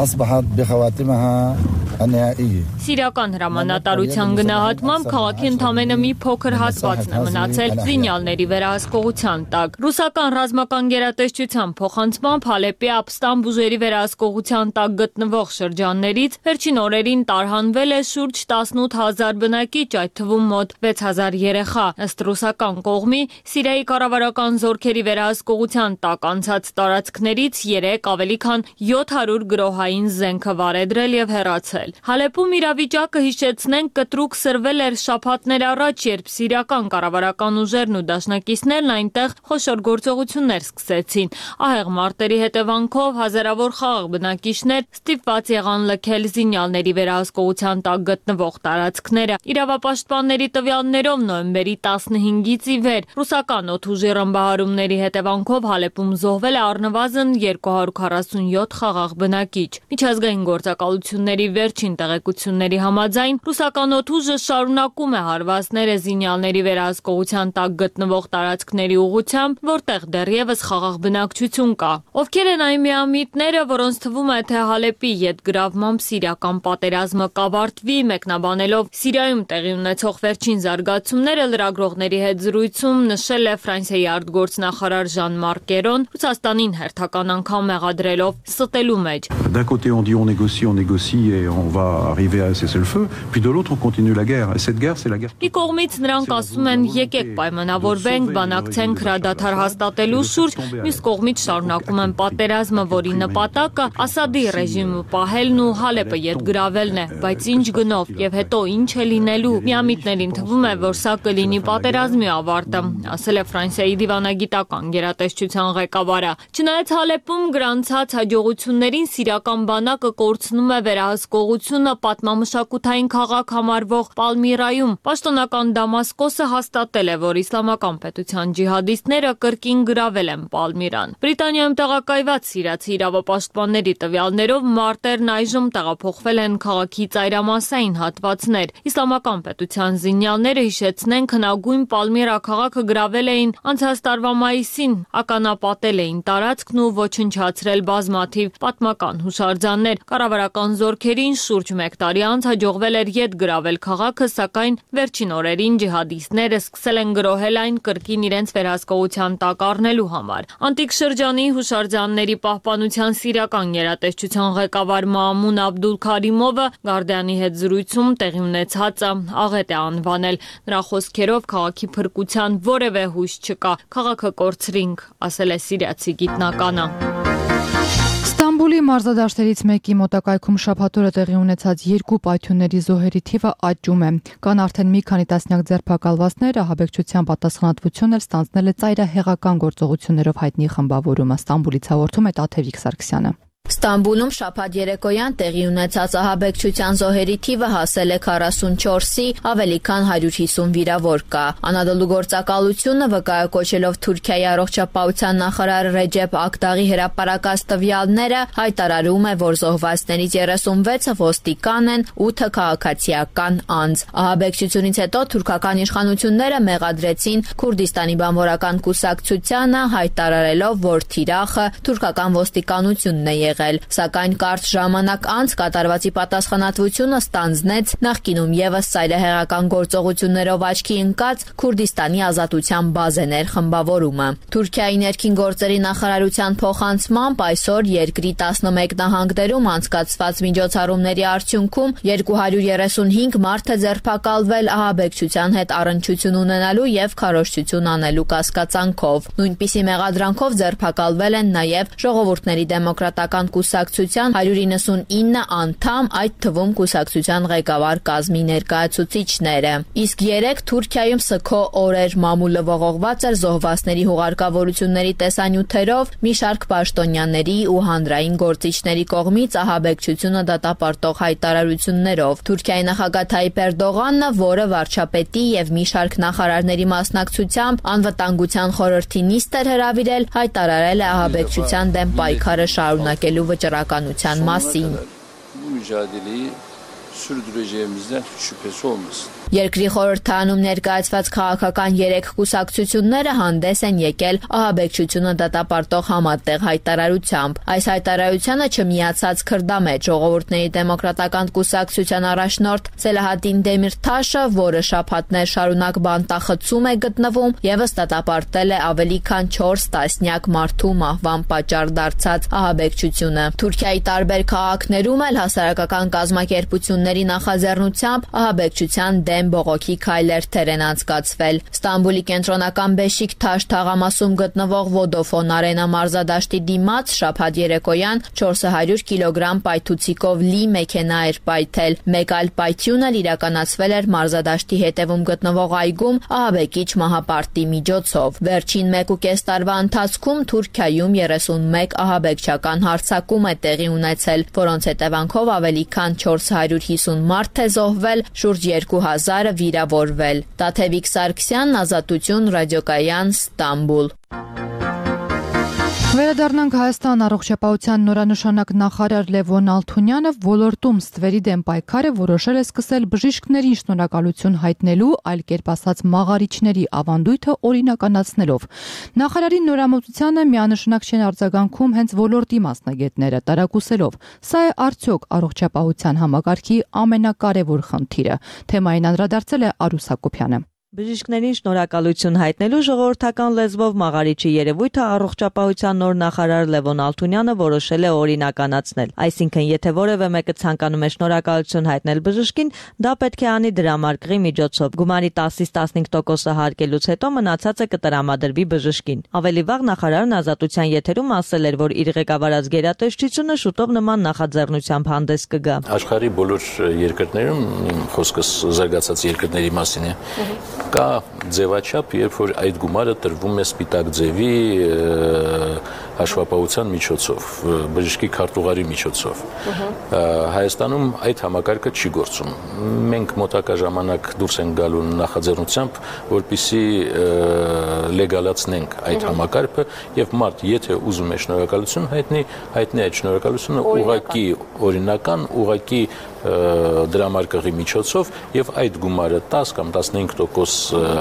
Սիրիական հրամանատարության գնահատմամբ քաղաքի ընդամենը մի փոքր հատվածն է մնացել զինյալների վերահսկողության տակ։ Ռուսական ռազմական գերատեսչության փոխանցմամբ Հալեպի ապստամբ ուժերի վերահսկողության տակ գտնվող շրջաններից վերջին օրերին տարհանվել է շուրջ տասնութ հազար բնակիչ, այդ թվում մոտ վեց հազար երեխա։ Ըստ ռուսական կողմի Սիրիայի կառավարական զորքերի վերահսկողության տակ անցած տարածքներից երեք ավելի քան յոթ հարյուր գրոհային զենք վարեդրել եւ հեռացել։ Հալեպում իրավիճակը հիշեցնենք կտրուկ սրվել էր շաբաթներ առաջ, երբ սիրիական կառավարական ուժերն ու դաշնակիցներն այնտեղ խոշոր գործողություններ սկսեցին։ Ահեղ մարտերի հետևանքով հազարավոր խաղաղ բնակիչներ ստիպված եղան լքել զինյալների վերահսկողության տակ գտնվող տարածքները։ Իրավապաշտպանների տվյալներով նոյեմբերի տասնհինգից ի վեր ռուսական օդուժի ռմբահարումների հետևանքով Հալեպում զոհվել է առնվազն երկու հարյուր քառասունյոթ խաղաղ բնակիչ։ Միջազգային գործակալությունների վերջին տեղեկությունների համաձայն ռուսական օդուժը շարունակում է հարվածները զինյալների վերահսկողության տակ գտնվող տարածքների ուղղությամբ, որտեղ դեռևս խաղաղ բնակչություն կա։ Ովքեր են այն միամիտները, որոնց թվում է, թե Հալեպի ետգրավմամբ սիրիական պատերազմը կավարտվի, մեկնաբանելով Սիրիայում տեղի ունեցող վերջին զարգացումները, լրագրողների հետ զրույցում նշել է Ֆրանսիայի արտգործնախարար Ժան-Մարկ Կերոն, Ռուսաստանին հերթական անգամ մեղադրելով ստելու մեջ։ D'un côté on dit on négocie, on négocie et on va arriver à un cessez-le-feu. cessez-le-feu, puis de l'autre on continue la guerre. Et cette guerre, c'est la guerre. Մի կողմից նրանք ասում են եկեք պայմանավորվենք, բանակցենք հրադադար հաստատելու շուրջ, մյուս կողմից շարունակում են պատերազմը, որի նպատակը Ասադի ռեժիմը պահելն ու Հալեպը ետ գրավելն է, բայց ինչ գնով եւ հետո ինչ է լինելու։ Միամիտներին թվում է, որ սա կլինի պատերազմի ավարտը, ասել է Ֆրանսիայի դիվանագիտական գերատեսչության ղեկավարը։ Չնայած Հալեպում գրանցած հաջողություններին սիրիական բանակը կորցնում է վերահսկողությունը պատմամշակութային քաղաք համարվող Պալմիրայում։ Պաշտոնական Դամասկոսը հաստատել է, որ իսլամական պետության ջիհադիստները կրկին գրավել են Պալմիրան։ Բրիտանիայում տեղակայված սիրիացի իրավապաշտպանների տվյալներով մարտերն այժմ տեղափոխվել են քաղաքի ծայրամասային հատվածներ։ Իսլամական պետության զինյալները հիշեցնեն հնագույն Պալմիրա քաղաքը գրավել էին անցած տարվա մայիսին, ականապատել էին տարածքն ու ոչնչացրել բազմաթիվ պատմական հուշարձաններ։ Կառավարական զորքերին շուրջ մեկ տարի անց հաջողվել էր ետ գրավել քաղաքը, սակայն վերջին օրերին ջիհադիստները սկսել են գրոհել այն կրկին իրենց վերահսկողության տակ առնելու համար։ Անտիկ շրջանի հուշարձանների պահպանության սիրիական գերատեսչության ղեկավար Մաամուն Աբդուլ Քարիմովը Գարդիանի հետ զրույցում տեղի ունեցածը աղետ է անվանել։ Նրա խոսքերով քաղաքի փրկության որևէ հույս չկա, քաղաքը կորցրինք, ասել է սիրիացի գիտնականը։ Ստամբուլի մարզադաշտերից մեկի մոտակայքում շաբաթօրը տեղի ունեցած երկու պայթյունների զոհերի թիվը աճում է։ Կան արդեն մի քանի տասնյակ ձերբակալվածներ, ահաբեկչության պատասխանատվություն էլ ստանձնել է ծայրահեղական գործողություններով հայտնի խմբավորումը։ Ստամբուլից հաղորդում է Տաթևիկ Սարգսյանը։ Ստամբուլում շաբաթ երեկոյան տեղի ունեցած ահաբեկչության զոհերի թիվը հասել է քառասունչորսի, ավելի քան հարյուր հիսուն վիրավոր կա։ Անադոլու գործակալությունը վկայակոչելով Թուրքիայի առողջապահության նախարար Ռեջեփ Ակդաղի հրապարակած տվյալները հայտարարում է, որ զոհվածներից երեսունվեցը ոստիկան են, ութը քաղաքացիական անձ։ Ահաբեկչությունից հետո թուրքական իշխանությունները մեղադրեցին Քուրդիստանի բանվորական կուսակցությանը, հայտարարելով, որ թիրախը թուրքական ոստիկանությունն է եղել, սակայն կարճ ժամանակ անց կատարվածի պատասխանատվությունը ստանձնեց նախկինում ևս ծայրահեղական գործողություններով աչքի ընկած Քուրդիստանի ազատության բազեներ խմբավորումը։ Թուրքիայի ներքին գործերի նախարարության փոխանցմամբ այսօր երկրի տասնմեկ նահանգներում անցկացված միջոցառումների արդյունքում երկու հարյուր երեսունհինգ մարդ է ձերբակալվել ահաբեկչության հետ առնչություն ունենալու եւ քարոզչություն անելու կասկածանքով։ Նույնպիսի մեղադրանքով ձերբակալվել են նաեւ Ժողովուրդների դեմոկրատական կուսակցության հարյուր իննսունինը անդամ, այդ թվում կուսակցության ղեկավար կազմի ներկայացուցիչները։ Իսկ երեք Թուրքիայում սգո օրեր մամուլը ողողված էր զոհվածների հուղարկավորությունների տեսանյութերով, մի շարք պաշտոնյաների ու հանրային գործիչների կողմից ահաբեկչությունը դատապարտող հայտարարություններով։ Թուրքիայի նախագահ Թայիպ Էրդողանը, որը վարչապետի եւ մի շարք նախարարների մասնակցությամբ անվտանգության խորհրդի նիստ էր հրավիրել, հայտարարել է ահաբեկչության դեմ պայքարը շարունակելու վճռականության մասին։ Երկրի խորհրդարանում ներկայացված քաղաքական երեք կուսակցությունները հանդես են եկել ահաբեկչությունը դատապարտող համատեղ հայտարարությամբ։ Այս հայտարարությանը չմիացած քրդամետ Ժողովուրդների դեմոկրատական կուսակցության առաջնորդ Սելահադին Դեմիրթաշը, որը շաբաթներ շարունակ բանտախցում է գտնվում, եւս դատապարտել է ավելի քան չորս տասնյակ մարդու մահվան պատճառ դարձած ահաբեկչությունը։ Թուրքիայի տարբեր քաղաքներում էլ հասարակական կազմակերպությունների նախաձեռնությամբ ահաբեկչության դեմ բողոքի քայլեր են անցկացվել։ Ստամբուլի կենտրոնական Բեշիկթաշ թաղամասում գտնվող Vodafone Arena մարզադաշտի դիմաց շաբաթ երեկոյան չորս հարյուր կիլոգրամ պայթուցիկով լի մեքենա էր պայթել։ Մեկ այլ պայթյուն էլ իրականացվել էր մարզադաշտի հետևում գտնվող այգում ահաբեկիչ մահապարտի միջոցով։ Վերջին մեկ ու կես տարվա ընթացքում Թուրքիայում երեսունմեկ ահաբեկչական հարձակում է տեղի ունեցել, որոնց հետևանքով ավելի քան չորս հարյուր հիսուն մարդ է զոհվել, շուրջ երկու հազարը վիրավորվել։ Տաթևիկ Սարգսյան, Ազատություն, ռադիոկայան, Ստամբուլ։ Վերադառնանք Հայաստան առողջապահության նորանշանակ նախարար Լևոն Ալթունյանը ոլորտում ստվերի դեմ պայքարը որոշել է սկսել բժիշկներին շնորհակալություն հայտնելու, այլ կերպ ասած մաղարիչների ավանդույթը օրինականացնելով։ Նախարարի նորամուծությանը միանշանակ չեն արձագանքում հենց ոլորտի մասնագետները, տարակուսելով. սա է արդյոք առողջապահության համակարգի ամենակարևոր խնդիրը։ Թեմային անդրադարձել է Արուս Հակոբյանը։ Բժիշկներին շնորհակալություն հայտնելու ժողովրդական լեզվով մաղարիչի երևույթը առողջապահության նոր նախարար Լևոն Ալթունյանը որոշել է օրինականացնել։ Այսինքն, եթե որևէ մեկը ցանկանում է շնորհակալություն հայտնել բժշկին, դա պետք է անի դրամարկղի միջոցով։ Գումարի տասից տասնհինգ տոկոսը հարկելուց հետո մնացածը կտրամադրվի բժշկին։ Ավելի վաղ նախարարն Ազատության եթերում ասել էր, որ իր ղեկավարած գերատեսչությունը շուտով նման նախաձեռնությամբ հանդես կգա։ Աշխարհի բոլոր երկրներում խոսքս զարգացած երկրների մասին է։ Կա ձևաչափ, երբ որ այդ գումարը տրվում է սպիտակ ձևի հաշվապահության միջոցով, բժշկի քարտուղարի միջոցով։ Հայաստանում այդ համակարգը չի գործում։ Մենք մոտակա ժամանակ դուրս ենք գալու նախաձեռնությամբ, որպեսզի լեգալացնենք այդ համակարգը եւ մարդ, եթե ուզում է շնորհակալություն հայտնի, հայտնի այդ շնորհակալությունը ուղղակի օրինական, ուղղակի դրամարկղի միջոցով եւ այդ գումարը տասը կամ տասնհինգ տոկոս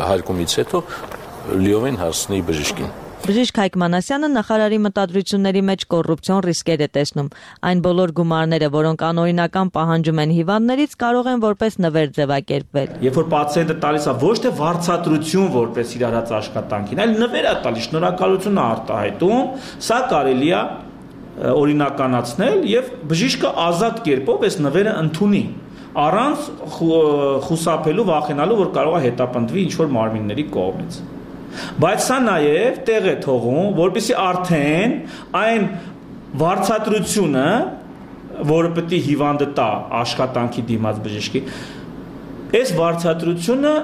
հարկումից հետո լիովին հասնի բժշկին։ Բժիշկ Հայկ Մանասյանը նախարարի մտադրությունների մեջ կոռուպցիոն ռիսկեր է տեսնում։ Այն բոլոր գումարները, որոնք անօրինական պահանջում են հիվանդներից, կարող են որպես նվեր ձևակերպվել։ Երբ որ պացիենտը տալիս է ոչ թե վարձատրություն որպես իր արած աշխատանքին, այլ նվեր է տալիս, շնորհակալություն է արտահայտում, սա կարելի է օրինականացնել եւ բժիշկը ազատ կերպով այս նվերը ընդունի առանց խուսափելու, վախենալու, որ կարող է հետապնդվի ինչ-որ մարմինների կողմից։ Բայց սա նաև տեղ է թողում, որպեսզի արդեն այն վարձատրությունը, որը պետք է հիվանդը տա աշխատանքի դիմաց բժշկի, այս վարձատրությունը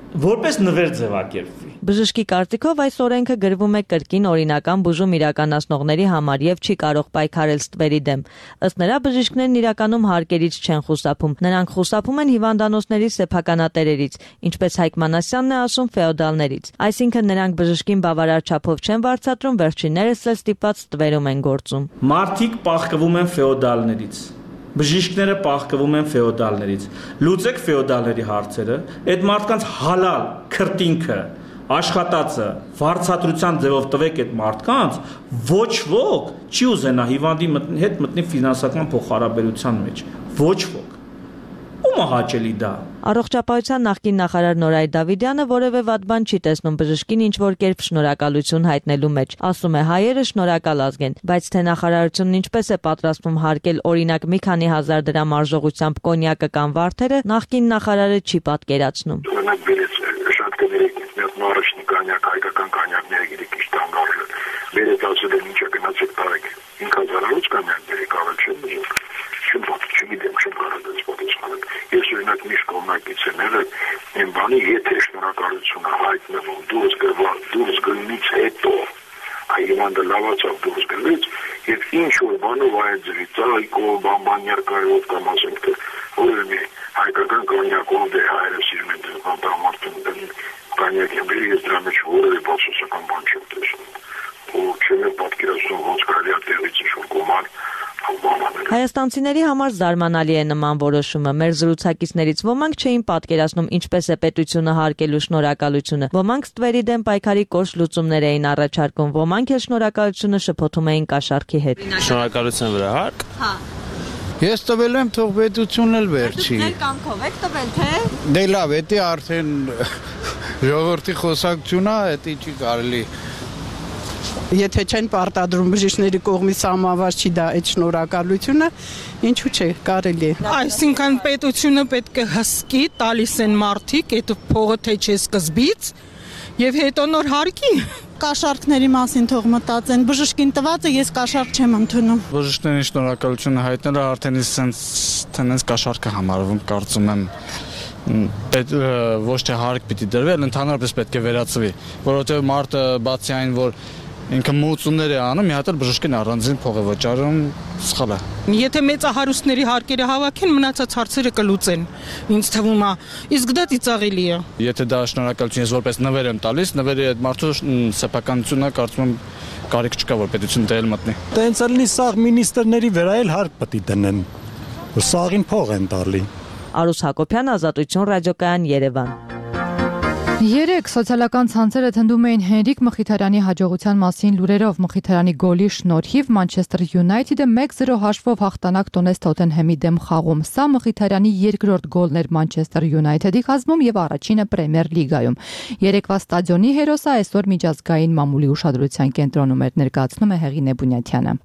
որպես նվեր ձևակերպվի։ Բժշկի կարծիքով այս օրենքը գրվում է կրկին օրինական բուժում իրականացնողների համար եւ չի կարող պայքարել ստվերի դեմ։ Ըստ նրա, բժիշկներն իրականում հարկերից չեն խուսափում։ Նրանք խուսափում են հիվանդանոցների սեփականատերերից, ինչպես Հայկ Մանասյանն է ասում, ֆեոդալներից։ Այսինքն նրանք բժշկին բավարար չափով չեն վարձատրում, վերջիններս էլ ստիպված ստվերում են գործում։ Մարդիկ պահկվում են ֆեոդալներից։ Բժիշկները պահկվում են ֆեոդալներից։ Լուծեք ֆեոդալների հարցերը, այդ մարդկանց հալալ քրտինքը, աշխատածը վարձատրության ձևով տվեք այդ մարդկանց, ոչ ոք չի ուզենա հիվանդի հետ մտնի ֆինանսական փոխհարաբերության մեջ։ Ոչ ոք։ Ո՞ւմ է հաճելի դա։ Առողջապահության նախկին նախարար Նորայր Դավիդյանը որևէ վատ բան չի տեսնում բժշկին ինչ-որ կերպ շնորհակալություն հայտնելու մեջ։ Ասում է, հայերը շնորհակալ ազգ են, բայց թե նախարարությունն ինչպես է պատրաստվում հարկել օրինակ մի քանի հազար դրամ արժողությամբ կոնյակը կամ վարդերը, նախկին նախարարը չի պատկերացնում։ Շատ կներեք, մի առաջնի կանյակ, հայկական կանյակները գիրեք իշտ անգարժը, վերետ ասել են ինչ է գնացեք տարեք, ինք հազարարոց կանյակները կարել չեն բժիկ, չեմ պատու, չգիտեմ, չեմ կարել ես պատասխանեք, ես օրինակ միշտ կողմնակից եմ եղել, եմ բանի եթե շնորհակալությունը հայտնվում դուրս գնից հետո, այգիվանդը լավացավ դուրս գնից, և ինչ որ բանով այդ ձվից, այկով, բամբանյարկայով կամ ասենք, թե որ մի հայկական կանյակով դե հայրը սիրում են դες բանտամարտում դեն կանյակ եմ բերի, ես դրա մեջ որևէ բացասական բան չեմ տեսնում, ու չեմ է պատկերացնում ոնց կարելի է տեղից ինչ-որ գումար Հայաստանցիների համար զարմանալի է նման որոշումը։ Մեր զրուցակիցներից ոմանք չէին պատկերացնում ինչպես է պետությունը հարկելու շնորհակալությունը։ Ոմանք ստվերի դեմ պայքարի կոշտ լուծումներ էին առաջարկում, ոմանք էլ շնորհակալությունը շփոթում էին կաշառքի հետ։ Շնորհակալության վրա հարկ։ Հա։ Ես տվել եմ, թող պետությունն էլ վերջի։ Դուք կամքով եք տվել, թե։ Դե լավ, էդի արդեն ժողովրդի խոսակցությունն է, էդի չի կարելի։ Եթե չեն պարտադրում բժիշկների կողմից սահմանված չի դա այդ շնորհակալությունը, ինչու՞ չէ, կարելի է։ Այսինքն պետությունը պետք է հսկի, տալիս են մարդիկ, այդ փողը թե չէ սկզբից, եւ հետո նոր հարկի։ Կաշառքների մասին թող մտածեն, բժշկին տվածը ես կաշառք չեմ ընդունում։ Բժիշկներին շնորհակալությունը հայտնելը արդեն ինձ տենց կաշառքը համարվում, կարծում եմ։ Պետ ոչ թե հարկ պիտի դրվի, այլ ընդհանրապես պետք է վերացվի, որովհետեւ մարդը բացի այն, որ ինքը մուծումներ է անում, մի հատ էլ բժշկին առանձին փող է վճարում, սխալ է։ Եթե մեծահարուստների հարկերը հավաքեն, մնացած հարցերը կլուծեն։ Ինձ թվում է, իսկ դա ծիծաղելի է։ Եթե դա շնորհակալություն ես որպես նվեր եմ տալիս, նվերի այդ մարդու սեփականությունը կարծում եմ կարիք չկա, որ պետությունը դել մտնի։ Տենց ալնի սաղ մինիստրների վրա էլ հարկ պետք է դնեն, որ սաղին փող են տալի։ Արուս Հակոբյան, Ազատություն ռադիոկայան, Երևան։ Երեք սոցիալական ցանցերը թնդում էին Հենրիկ Մխիթարյանի հաջողության մասին լուրերով։ Մխիթարյանի գոլի շնորհիվ Մանչեսթեր Յունայթեդը մեկ զրո հաշվով հաղթանակ տոնեց Թոթենհեմի դեմ խաղում։ Սա Մխիթարյանի երկրորդ գոլն էր Մանչեսթեր Յունայթեդի խաղում եւ առաջինը Պրեմիեր լիգայում։ Երեկվա ստադիոնի հերոսը այսօր միջազգային մամուլի ուշադրության կենտրոնում էր, ներկայացնում է Հեղին Էբունյաթյանը։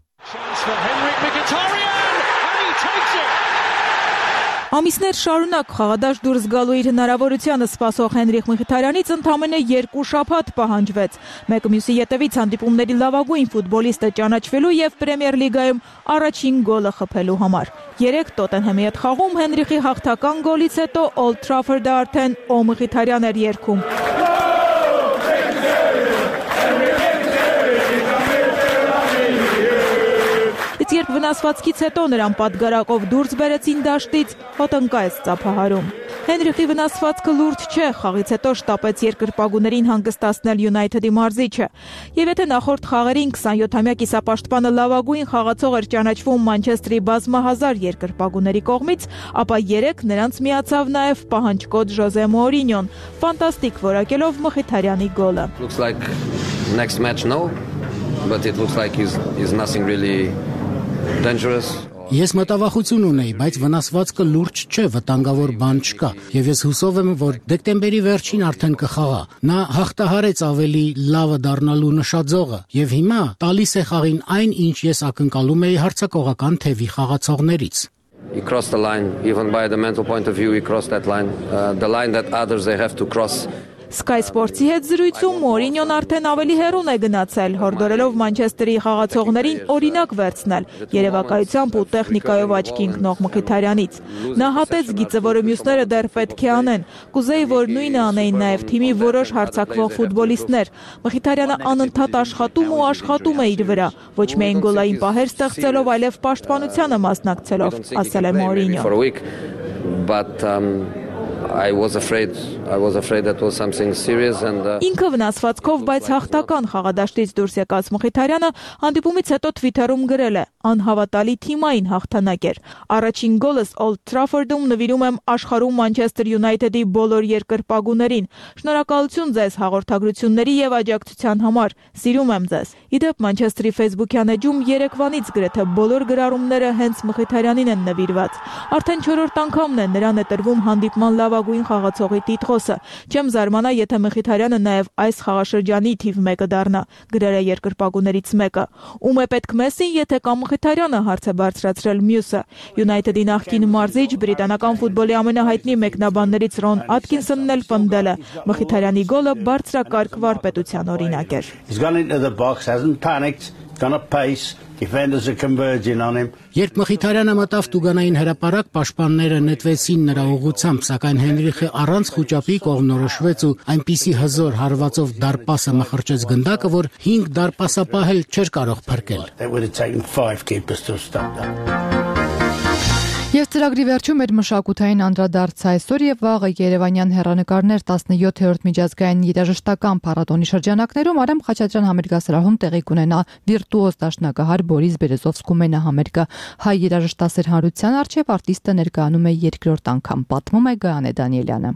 Ամիսներ շարունակ խաղադաշտ դուրս գալու իր հնարավորությանը սպասող Հենրիկ Մխիթարյանից ընդամենը երկու շաբաթ պահանջվեց։ Մեկը մյուսի ետևից հանդիպումների լավագույն ֆուտբոլիստը ճանաչվելու եւ Պրեմիեր լիգայում առաջին գոլը խփելու համար։ Երեք Տոտենհեմի հետ խաղում Հենրիխի հաղթական գոլից հետո Օլդ Թրաֆորդը արդեն Օ Մխիթարյան էր երգում։ Երբ վնասվածքից հետո նրան պատգարակով դուրս բերեցին դաշտից, հոտնկայեց ծափահարում։ Հենրիխի վնասվածքը լուրջ չէ, խաղից հետո շտապեց երկրպագուներին հանգստացնել Յունայթեդի մարզիչը։ Եվ եթե նախորդ խաղերին քսանյոթամյա կիսապաշտպանը լավագույն խաղացող էր ճանաչվում Մանչեսթերի բազմահազար երկրպագուների կողմից, ապա երեք նրանց միացավ նաև պահանջկոտ Ժոզե Մորինյոն, ֆանտաստիկ որակելով Մխիթարյանի գոլը։ Looks like next match no, but it looks like is is nothing really dangerous. Ես մտավախություն ունեի, բայց վնասվածքը լուրջ չէ, վտանգավոր բան չկա, եւ ես հուսով եմ, որ դեկտեմբերի վերջին արդեն կխաղա։ Նա հաղթահարեց ավելի լավը դառնալու նշաձողը, եւ հիմա տալիս է խաղին այն, ինչ ես ակնկալում էի հարձակողական թևի խաղացողներից։ He crossed the line, even by the mental point of view, he crossed that line, uh, the line that others they have to cross. Sky Sports-ի հետ զրույցում Մորինյոն արդեն ավելի հեռուն է գնացել, հորդորելով Մանչեսթերի խաղացողներին օրինակ վերցնել երևակայությամբ ու տեխնիկայով աչքի ընկնող Մխիթարյանից։ Նա հատեց գիծը, որը մյուսները դեռ պետք է անեն։ Կուզեի, որ նույնը անեին նաև թիմի որոշ հարձակվող ֆուտբոլիստներ։ Մխիթարյանը անընդհատ աշխատում ու աշխատում է իր վրա, ոչ միայն գոլային պահեր ստեղծելով, այլև պաշտպանությանը մասնակցելով, ասել է Մորինյոն։ But um I was afraid I was afraid that was something serious and uh... Ինքը վնասվածքով, բայց հաղթական խաղադաշտից դուրս եկած Մխիթարյանը հանդիպումից հետո Twitter-ում գրել է. անհավատալի թիմային հաղթանակ էր։ Առաջին գոլս Օլդ Թրաֆորդում նվիրում եմ աշխարհում Մանչեսթեր Յունայթեդի բոլոր երկրպագուներին։ Շնորհակալություն ձեզ հաղորդագրությունների եւ աջակցության համար։ Սիրում եմ ձեզ։ Իդեպ Մանչեսթերի Facebook-յան էջում երեկվանից գրեթե բոլոր գրառումները հենց Մխիթարյանին են նվիրված։ Արդեն չորրորդ անգամն է նրան է տրվում հանդիպման լավագույն խաղացողի տիտղոսը։ Չեմ զարմանա, եթե Մխիթարյանը նաև այս խաղաշրջանի թիվ մեկը դառնա, գրել է երկրպագուներից մեկը։ Ում է պետք Մեսսին, եթե կամ Մխիթարյանը, հարց է բարձրացրել մյուսը։ Յունայթեդի նախկին մարզիչ, բրիտանական ֆուտբոլի ամենահայտնի մեկնաբաններից Ռոն Աթկինսոնն էլ պնդել է. Մխիթարյանի գոլը բարձրակարգ վարպետության օրինակ էր։ Gonna pace, defenders are converging on him. Երբ Մխիթարյանը մտավ Տուգանային հրապարակ, պաշտպանները նետվեցին նրա ուղղությամբ, սակայն Հենրիխը առանց խուճապի կողմնորոշվեց ու այնպիսի հզոր հարվածով դարպասը մխրճեց գնդակը, որ հինգ դարպասապահել չէր կարող փրկել։ It would have taken five keepers to stop that. Եվ ծրագրի վերջում էր մշակութային անդրադարձ այսօր եւ վաղը Երևանյան հեռանկարներ տասնյոթերորդ միջազգային երաժշտական փառատոնի շրջանակներում Արամ Խաչատրյան համերգասրահում տեղի կունենա վիրտուոզ դաշնակահար Բորիս Բերեզովսկու մենահամերգը։ Հայ երաժշտասեր հանրության առջև արտիստը ներկայանում է երկրորդ անգամ, պատմում է Գայանե Դանիելյանը։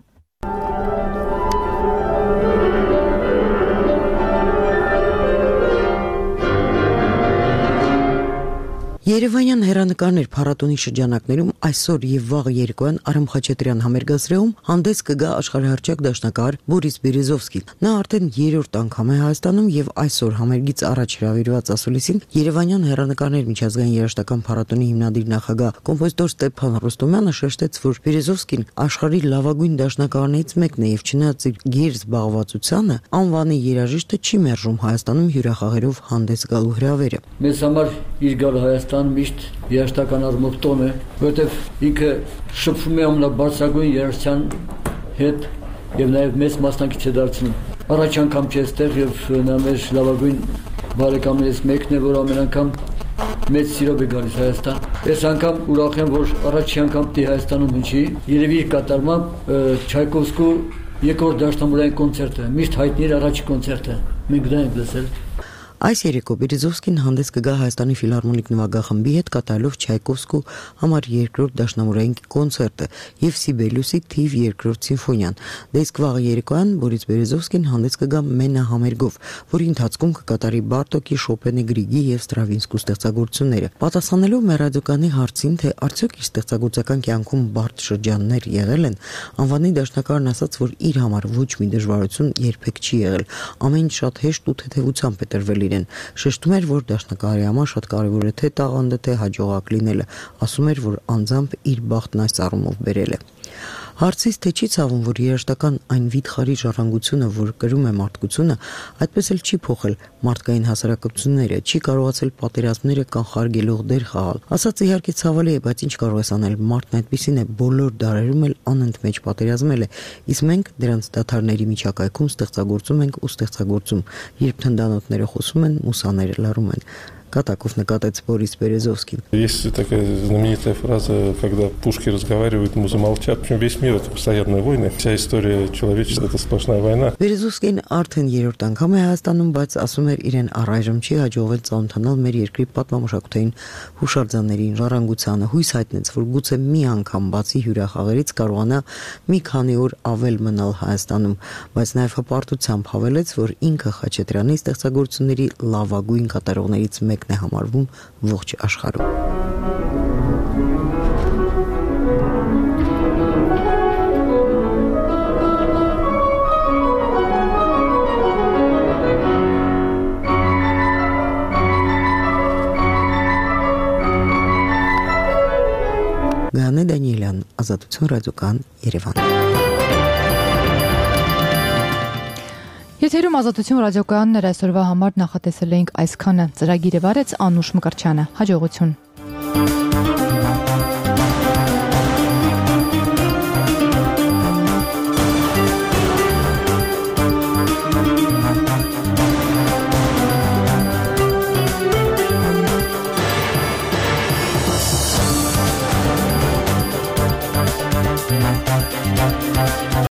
Երևանյան հեռանկարներ փառատոնի շրջանակներում այսօր եւ վաղը երեկոյան Արամ Խաչատրյան համերգասրահում հանդես կգա աշխարհահռչակ դաշնակահար Բորիս Բերեզովսկին։ Նա արդեն երրորդ անգամ է Հայաստանում եւ այսօր համերգից առաջ հրավիրված ասուլիսին Երևանյան հեռանկարներ միջազգային երաժշտական փառատոնի հիմնադիր նախագահ կոմպոզիտոր Ստեփան Ռոստոմյանը շեշտեց, որ Բերեզովսկին աշխարհի լավագույն դաշնակահարներից մեկն է եւ չնայած իր գերզ զբաղվածությանը անվանի երաժիշտը չի մերժում Հայաստանում հյուրախաղերով հանդես գալու հրավերը։ Մեզ համար իր գալ Հայաստան միշտ երաժշտական առումով տոն է, որտեվ ինքը շփվում է ամենաբարձրագույն երաժշտության հետ եւ նաեւ մեծ մասնակից է դարձնում։ Առաջ անգամ չէ այստեղ եւ նա մեր լավագույն բարեկամներից մեկն է, որ ամեն անգամ մեծ սիրով է գալիս Հայաստան։ Այս անգամ ուրախ եմ, որ առաջի անգամ դի Հայաստանում հնչի, երևի իր կատարմամբ Չայկովսկու երկրորդ դաշնամուրային կոնցերտը, միշտ հայտնի էր առաջի կոնցերտը։ Մենք դա ենք լսել։ Այս երեկո Բերեզովսկին հանդես կգա Հայաստանի ֆիլհարմոնիկ նվագախմբի հետ կատարելով Չայկովսկու համար երկրորդ դաշնամուրային կոնցերտը եւ Սիբելյուսի թիվ երկրորդ սիմֆոնիան։ Դե իսկ վաղ երեկոյան Բորիս Բերեզովսկին հանդես կգա Մենա համերգով, որի ընթացքում կկատարի Բարտոկի, Շոպենի, Գրիգի եւ Ստրավինսկու ստեղծագործությունները։ Պատասխանելով մեր ռադիոկանի հարցին, թե արդյոք իր ստեղծագործական կյանքում բարդ շրջաններ եղել են, անվանի դաշնակարն ասաց, որ իր համար ոչ մի դժվարություն երբեք չի եղել։ Ամեն ինչ շատ հեշտ ու թեթևությամբ է տրվել իրեն։ Շեշտում էր, որ դաշնակահարի համար շատ կարևոր է թե տաղանդը, թե հաջողակ լինելը։ Ասում էր, որ անձամբ իր բախտն այս առումով բերել է։ Հարցից թե չի ցավում, որ երաժշտական այն վիթխարի ժառանգությունը, որ կրում է մարդկությունը, այդպես էլ չի փոխել մարդկային հասարակությունները, չի կարողացել պատերազմները կանխարգելող դեր խաղալ։ Ասած իհարկե ցավալի է, բայց ինչ կարող ես անել, մարդն այդպեսին է, բոլոր դարերում էլ անընդմեջ պատերազմել է, իսկ մենք дրանց դաթարների միջակայքում ստեղծագործում ենք ու ստեղծագործում, երբ թնդանոթները խոսում են, մուսաները լռում են։ Катаков накатեց Борис Березовский. Есть такая знаменитая фраза, когда пушки разговаривают, музы молчат. Причем весь мир — это постоянные войны. Вся история человечества — это сплошная война. Березovskին արդեն երրորդ անգամ է Հայաստանում, բայց ասում էր իրեն առայժմ չի հաջողվել ծանոթանալ մեր երկրի պատմամշակութային հուշարձաններին, ժառանգությանը, հույս հայտնեց, որ գուցե մի անգամ բացի հյուրախաղերից կարողանա մի քանի օր ավել մնալ Հայաստանում, բայց նաև հպարտությամբ հավելեց, որ ինքը Խաչատրյանի ստեղծագործությունների լավագույն կատարողներից մեկն է համարվում ողջ աշխարհում։ Գանե Դանիելյան, Ազատություն ռադիոկան, Երևան։ Եթերում Ազատություն ռադիոկայանն այսօրվա համար նախատեսել էինք այսքանը։ Ծրագիրը վարեց Անուշ Մկրտչյանը։ Հաջողություն։